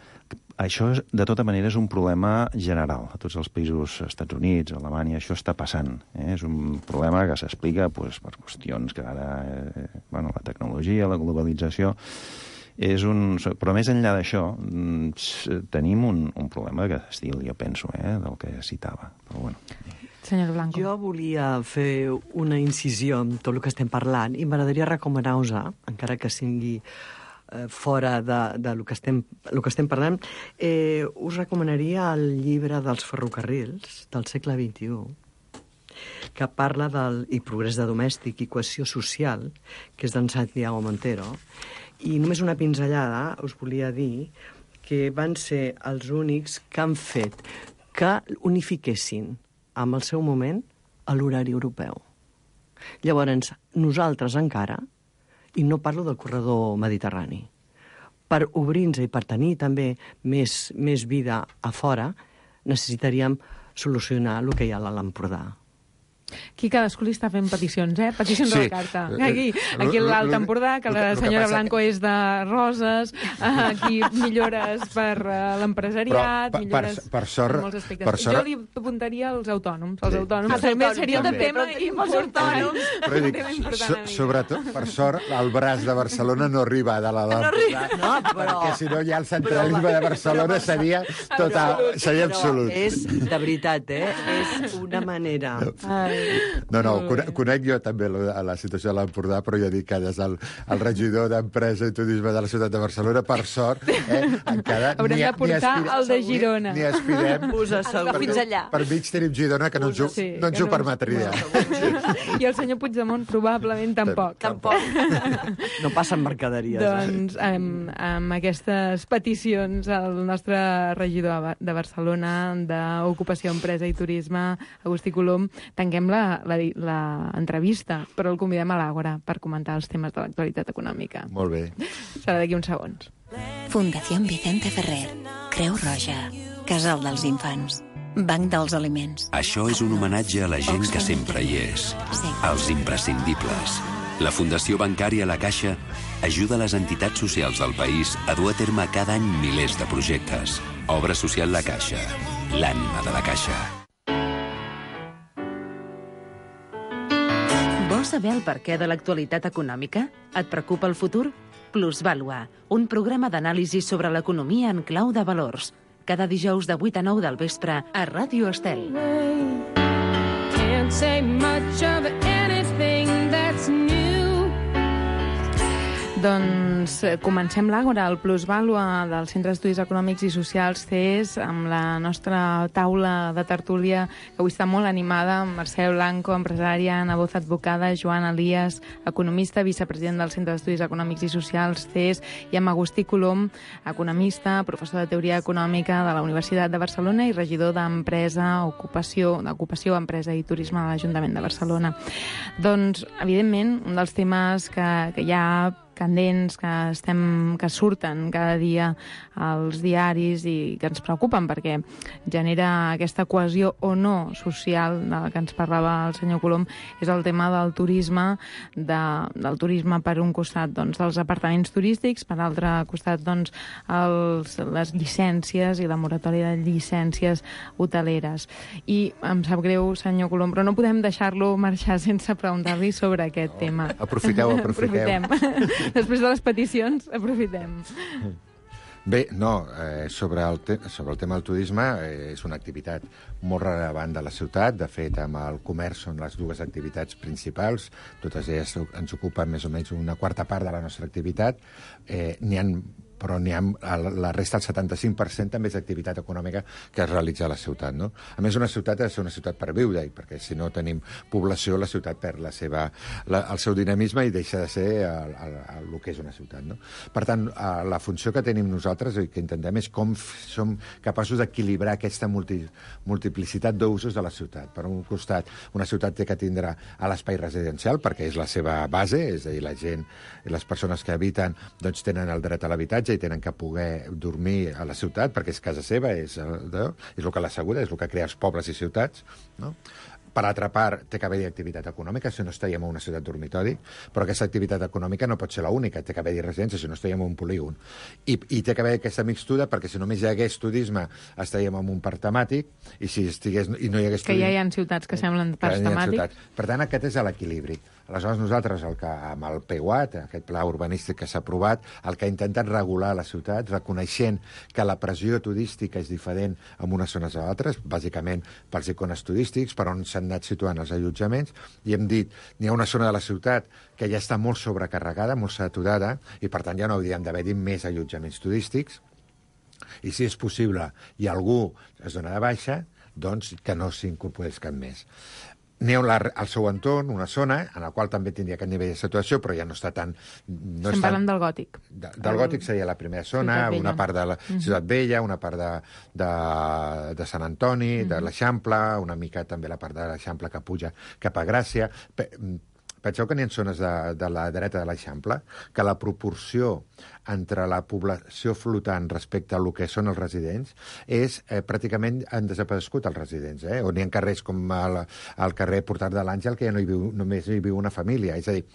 Això, de tota manera, és un problema general. A tots els països, Estats Units, Alemanya, això està passant. Eh? És un problema que s'explica pues, per qüestions que ara... Eh, bueno, la tecnologia, la globalització... És un... Però més enllà d'això, tenim un, un problema de estil, jo penso, eh, del que citava. Però bueno... Senyor Blanco. Jo volia fer una incisió en tot el que estem parlant i m'agradaria recomanar-vos, encara que sigui eh, fora de, de lo que estem, lo que estem parlant, eh, us recomanaria el llibre dels ferrocarrils del segle vint-i-u, que parla del i progrés de domèstic i cohesió social, que és d'en Santiago Montero, i només una pinzellada us volia dir que van ser els únics que han fet que unifiquessin amb el seu moment, a l'horari europeu. Llavors, nosaltres encara, i no parlo del corredor mediterrani, per obrir-nos i per tenir també més, més vida a fora, necessitaríem solucionar el que hi ha a l'Empordà. Aquí cadascú li està fent peticions, eh? Peticions Sí. a la carta. Aquí, aquí l'Alt Empordà, que la senyora Blanco és de Roses, aquí millores per uh, l'empresariat, Però, per- millores per- per sort- en molts aspectes. per sort- Jo li apuntaria als autònoms. Els Sí. autònoms. Els També autònoms, seria un també. tema Però tenim els important. autònoms. Però dic, Un tema important so, a mi. sobretot, per sort, el braç de Barcelona no arriba de la d'Empordà, No, però... perquè si no ja el centralisme de Barcelona seria total, seria absolut. És, de veritat, eh? És una manera... No, no, conec, conec jo també la, la situació de l'Empordà, però jo dic que des del el regidor d'Empresa i Turisme de la ciutat de Barcelona, per sort, eh, encara Haurem ni, de portar aspirem- el de Girona. Ni, ni aspirem. Us asseguro. Fins allà. Per mig tenim Girona, que no ens ho, Sí, no ens que ho no- permetria. I el senyor Puigdemont probablement tampoc. Tampoc. No passen mercaderies. Doncs amb, amb aquestes peticions el nostre regidor de Barcelona d'Ocupació, Empresa i Turisme, Agustí Colom, tanquem la, la, la entrevista, però el convidem a l'Àgora per comentar els temes de l'actualitat econòmica. Molt bé. Serà d'aquí uns segons. Fundació Vicente Ferrer, Creu Roja, Casal dels Infants, Banc dels Aliments. Això és un homenatge a la gent que sempre hi és, Sí. als imprescindibles. La Fundació Bancària La Caixa ajuda les entitats socials del país a dur a terme cada any milers de projectes. Obra social La Caixa, l'ànima de la Caixa. Vols saber el perquè de l'actualitat econòmica? Et preocupa el futur? Plusvàlua, un programa d'anàlisi sobre l'economia en clau de valors. Cada dijous de vuit a nou del vespre a Ràdio Estel. Can't say much of anything that's new. Doncs eh, comencem l'Àgora, el plusvàlua del Centre d'Estudis Econòmics i Socials C E S, amb la nostra taula de tertúlia, que avui està molt animada, amb Mercè Blanco, empresària, Ana Boza, advocada, Joan Elias, economista, vicepresident del Centre d'Estudis Econòmics i Socials C E S, i amb Agustí Colom, economista, professor de Teoria Econòmica de la Universitat de Barcelona i regidor d'Empresa, Ocupació, d'Ocupació, Empresa i Turisme de l'Ajuntament de Barcelona. Doncs, evidentment, un dels temes que, que hi ha candents que, estem, que surten cada dia als diaris i que ens preocupen perquè genera aquesta cohesió o no social de la que ens parlava el senyor Colom, és el tema del turisme, de, del turisme per un costat doncs, dels apartaments turístics, per altre costat doncs, els, les llicències i la moratòria de llicències hoteleres. I em sap greu, senyor Colom, però no podem deixar-lo marxar sense preguntar-li sobre aquest tema. Aprofiteu, aprofiteu. Aprofitem. Després de les peticions, aprofitem. Bé, no, eh, sobre, el te sobre el tema del turisme eh, és una activitat molt rellevant de la ciutat. De fet, amb el comerç són les dues activitats principals. Totes elles ens ocupen més o menys una quarta part de la nostra activitat. Eh, N'hi ha però n'hi ha, la resta, el setanta-cinc per cent, també és activitat econòmica que es realitza a la ciutat, no? A més, una ciutat ha de ser una ciutat per viure, perquè si no tenim població, la ciutat perd la seva, la, el seu dinamisme i deixa de ser el, el, el, el que és una ciutat, no? Per tant, la funció que tenim nosaltres i que intentem és com som capaços d'equilibrar aquesta multi, multiplicitat d'usos de la ciutat. Per un costat, una ciutat té que tindrà a l'espai residencial, perquè és la seva base, és a dir, la gent i les persones que habiten doncs, tenen el dret a l'habitatge i tenen que poder dormir a la ciutat perquè és casa seva, és, és el que l'assegura, és el que crea els pobles i ciutats, no? Per altra part, té que haver-hi activitat econòmica, si no estaríem en una ciutat dormitori, però aquesta activitat econòmica no pot ser l'única, té que haver-hi residència, si no estaríem en un polígon. I, i té que haver aquesta mixtura, perquè si només hi hagués turisme, estaríem en un parc temàtic, i si estigués, i no hi hagués que turisme... ja hi ha ciutats que semblen parcs temàtics. Per tant, aquest és l'equilibri. Aleshores, nosaltres, el que, amb el P U A T, aquest pla urbanístic que s'ha aprovat, el que ha intentat regular la ciutat, reconeixent que la pressió turística és diferent en unes zones a altres, bàsicament pels icones turístics, per on s'han anat situant els allotjaments, i hem dit, n'hi ha una zona de la ciutat que ja està molt sobrecarregada, molt saturada, i per tant ja no hauríem d'haver-hi més allotjaments turístics, i si és possible i algú es dona de baixa, doncs que no s'incorporés cap més. N'hi ha al seu entorn una zona en la qual també tindria aquest nivell de saturació, però ja no està tan... No Estem parlant del Gòtic. De, del Gòtic seria la primera zona, una part de la uh-huh. Ciutat Vella, una part de, de, de Sant Antoni, uh-huh. de l'Eixample, una mica també la part de l'Eixample que puja cap a Gràcia. Penseu que n'hi ha zones de, de la dreta de l'Eixample que la proporció entre la població flotant respecte a lo que són els residents és eh, pràcticament han desaparegut els residents, eh? On hi ha carrers com el, el carrer Portal de l'Àngel que ja no hi viu, només hi viu una família, és a dir,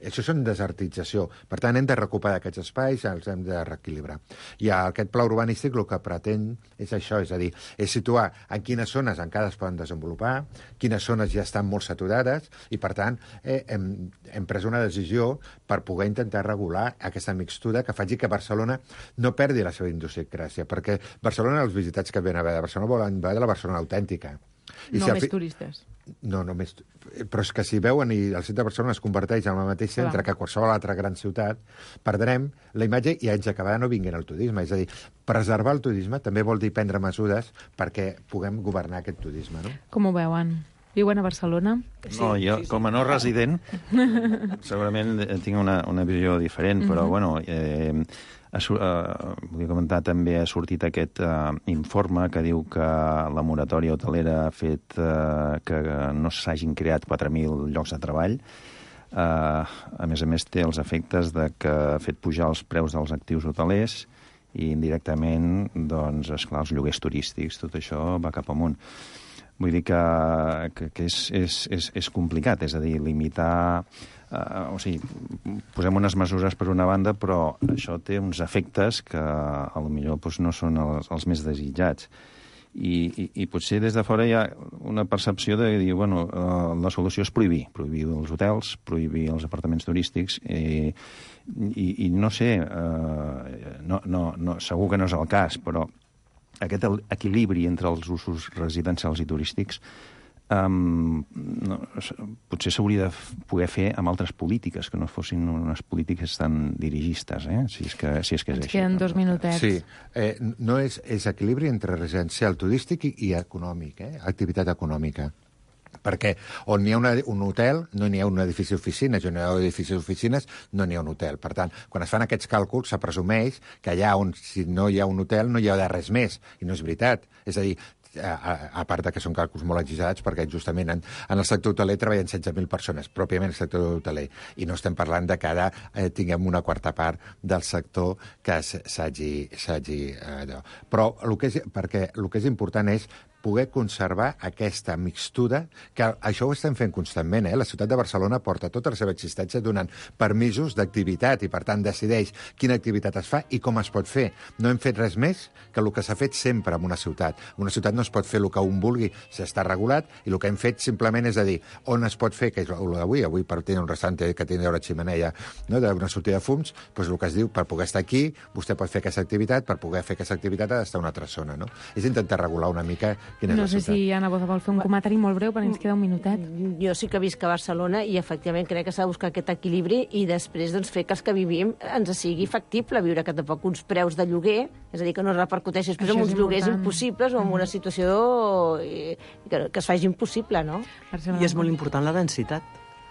això és una desertització. Per tant, hem de recuperar aquests espais, els hem de reequilibrar. I aquest pla urbanístic el que pretén és això, és a dir, és situar en quines zones encara es poden desenvolupar, quines zones ja estan molt saturades, i per tant eh, hem, hem pres una decisió per poder intentar regular aquesta mixtura que faci que Barcelona no perdi la seva idiosincràsia, perquè Barcelona, els visitats que venen a veure de Barcelona volen veure la Barcelona autèntica. I no si més fi... turistes. No, només... Però és que si veuen i el centre de Barcelona es converteix en el mateix centre Clar. que qualsevol altra gran ciutat, perdrem la imatge i ens acabarà no vinguent el turisme. És a dir, preservar el turisme també vol dir prendre mesures perquè puguem governar aquest turisme, no? Com ho veuen? Viuen a Barcelona? Sí, no, jo, sí, sí. com a no resident, segurament tinc una, una visió diferent, però, uh-huh. bueno... Eh, Uh, vull comentar, també ha sortit aquest uh, informe que diu que la moratòria hotelera ha fet uh, que no s'hagin creat quatre mil llocs de treball. Uh, a més a més, té els efectes de que ha fet pujar els preus dels actius hotelers i indirectament, doncs, esclar, els lloguers turístics, tot això va cap amunt. Vull dir que, que, que és, és, és, és complicat, és a dir, limitar... Uh, o sigui, posem unes mesures per una banda, però això té uns efectes que a lo millor doncs, no són els, els més desitjats. I, i, I potser des de fora hi ha una percepció de dir, bueno, uh, la solució és prohibir. Prohibir els hotels, prohibir els apartaments turístics, i, i, i no sé, uh, no, no, no, segur que no és el cas, però aquest equilibri entre els usos residencials i turístics Um, no, potser s'hauria de poder fer amb altres polítiques que no fossin unes polítiques tan dirigistes, eh? si, és que, si és que és Ens així. queden dos minutets. Sí, eh, no és, és equilibri entre residencial, turístic i, i econòmic, eh? Activitat econòmica. Perquè on hi ha una, un hotel no n'hi ha un edifici d'oficines, on hi ha un edifici d'oficines no n'hi ha un hotel. Per tant, quan es fan aquests càlculs, se presumeix que allà on si no hi ha un hotel no hi ha de res més, i no és veritat. És a dir, a, a, a part que són càlculs molt exagerats, perquè justament en, en el sector hoteler treballen setze mil persones, pròpiament el sector hoteler, i no estem parlant de que ara eh, tinguem una quarta part del sector que s'hagi... Eh, però el que és, perquè el que és important és poder conservar aquesta mixtura, que això ho estem fent constantment, eh? La ciutat de Barcelona porta tota la seva existència donant permisos d'activitat i, per tant, decideix quina activitat es fa i com es pot fer. No hem fet res més que el que s'ha fet sempre en una ciutat. En una ciutat no es pot fer el que un vulgui, s'està regulat, i el que hem fet simplement és a dir on es pot fer, que és el d'avui, avui per tenir un restaurant que tingui una ximeneia, no?, d'una sortida de fums, doncs el que es diu, per poder estar aquí, vostè pot fer aquesta activitat, per poder fer aquesta activitat ha d'estar a una altra zona, no? És intentar regular una mica quina és No la sé ciutat. si Anna Boza vol fer un comentari molt breu, perquè ens queda un minutet. Jo sí que visc a Barcelona i efectivament crec que s'ha de buscar aquest equilibri i després doncs, fer que els que vivim ens sigui factible viure, que tampoc uns preus de lloguer, és a dir, que no repercuteixi després Això en és uns lloguers important. impossibles o en una situació i, que, que es faci impossible, no? I és molt important la densitat.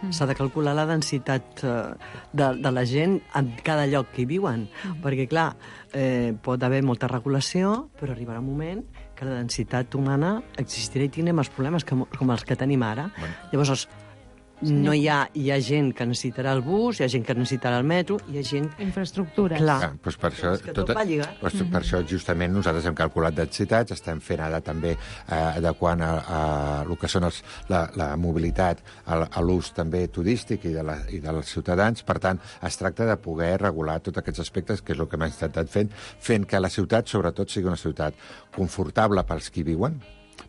Mm. S'ha de calcular la densitat eh, de, de la gent en cada lloc que hi viuen. Mm. Perquè, clar, eh, pot haver molta regulació, però arribarà un moment que la densitat humana existirà i tindrem els problemes que, com els que tenim ara. Bueno. Llavors, no hi ha, hi ha gent que necessitarà el bus, hi ha gent que necessitarà el metro, hi ha gent... Infraestructures. Clar. Ah, doncs per això, És que tot va lligat. Doncs per això justament nosaltres hem calculat densitats, estem fent ara també eh, adequant a, a el que són els, la, la mobilitat a, a l'ús també turístic i, de la, i dels ciutadans. Per tant, es tracta de poder regular tots aquests aspectes, que és el que hem intentat fent, fent que la ciutat, sobretot, sigui una ciutat confortable pels qui viuen,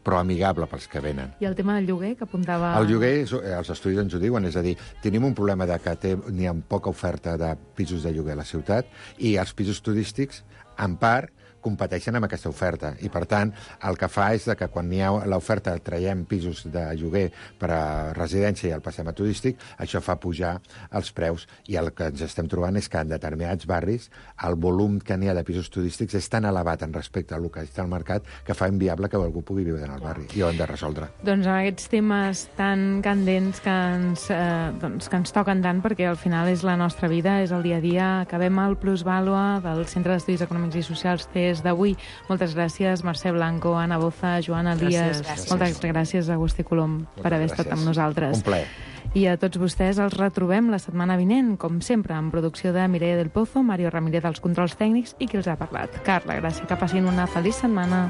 però amigable pels que venen. I el tema del lloguer, que apuntava... El lloguer, és- els estudis ens ho diuen, és a dir, tenim un problema de que té, n'hi ha poca oferta de pisos de lloguer a la ciutat i els pisos turístics, en part, competeixen amb aquesta oferta. I, per tant, el que fa és de que quan n'hi ha l'oferta traiem pisos de lloguer per a residència i el passem a turístic, això fa pujar els preus. I el que ens estem trobant és que en determinats barris el volum que n'hi ha de pisos turístics és tan elevat en respecte al que està al mercat que fa inviable que algú pugui viure en el barri. I ho hem de resoldre. Doncs amb aquests temes tan candents que ens, eh, doncs, que ens toquen tant, perquè al final és la nostra vida, és el dia a dia. Acabem el Plusvàlua del Centre d'Estudis Econòmics i Socials C E S d'avui. Moltes gràcies, Mercè Blanco, Anna Boza, Joan Elias. Gràcies. Moltes gràcies, Agustí Colom, per haver estat amb nosaltres. Un plaer. I a tots vostès els retrobem la setmana vinent, com sempre, amb producció de Mireia del Pozo, Mario Ramírez dels controls tècnics i qui els ha parlat. Carla Gràcia, que passin una feliç setmana.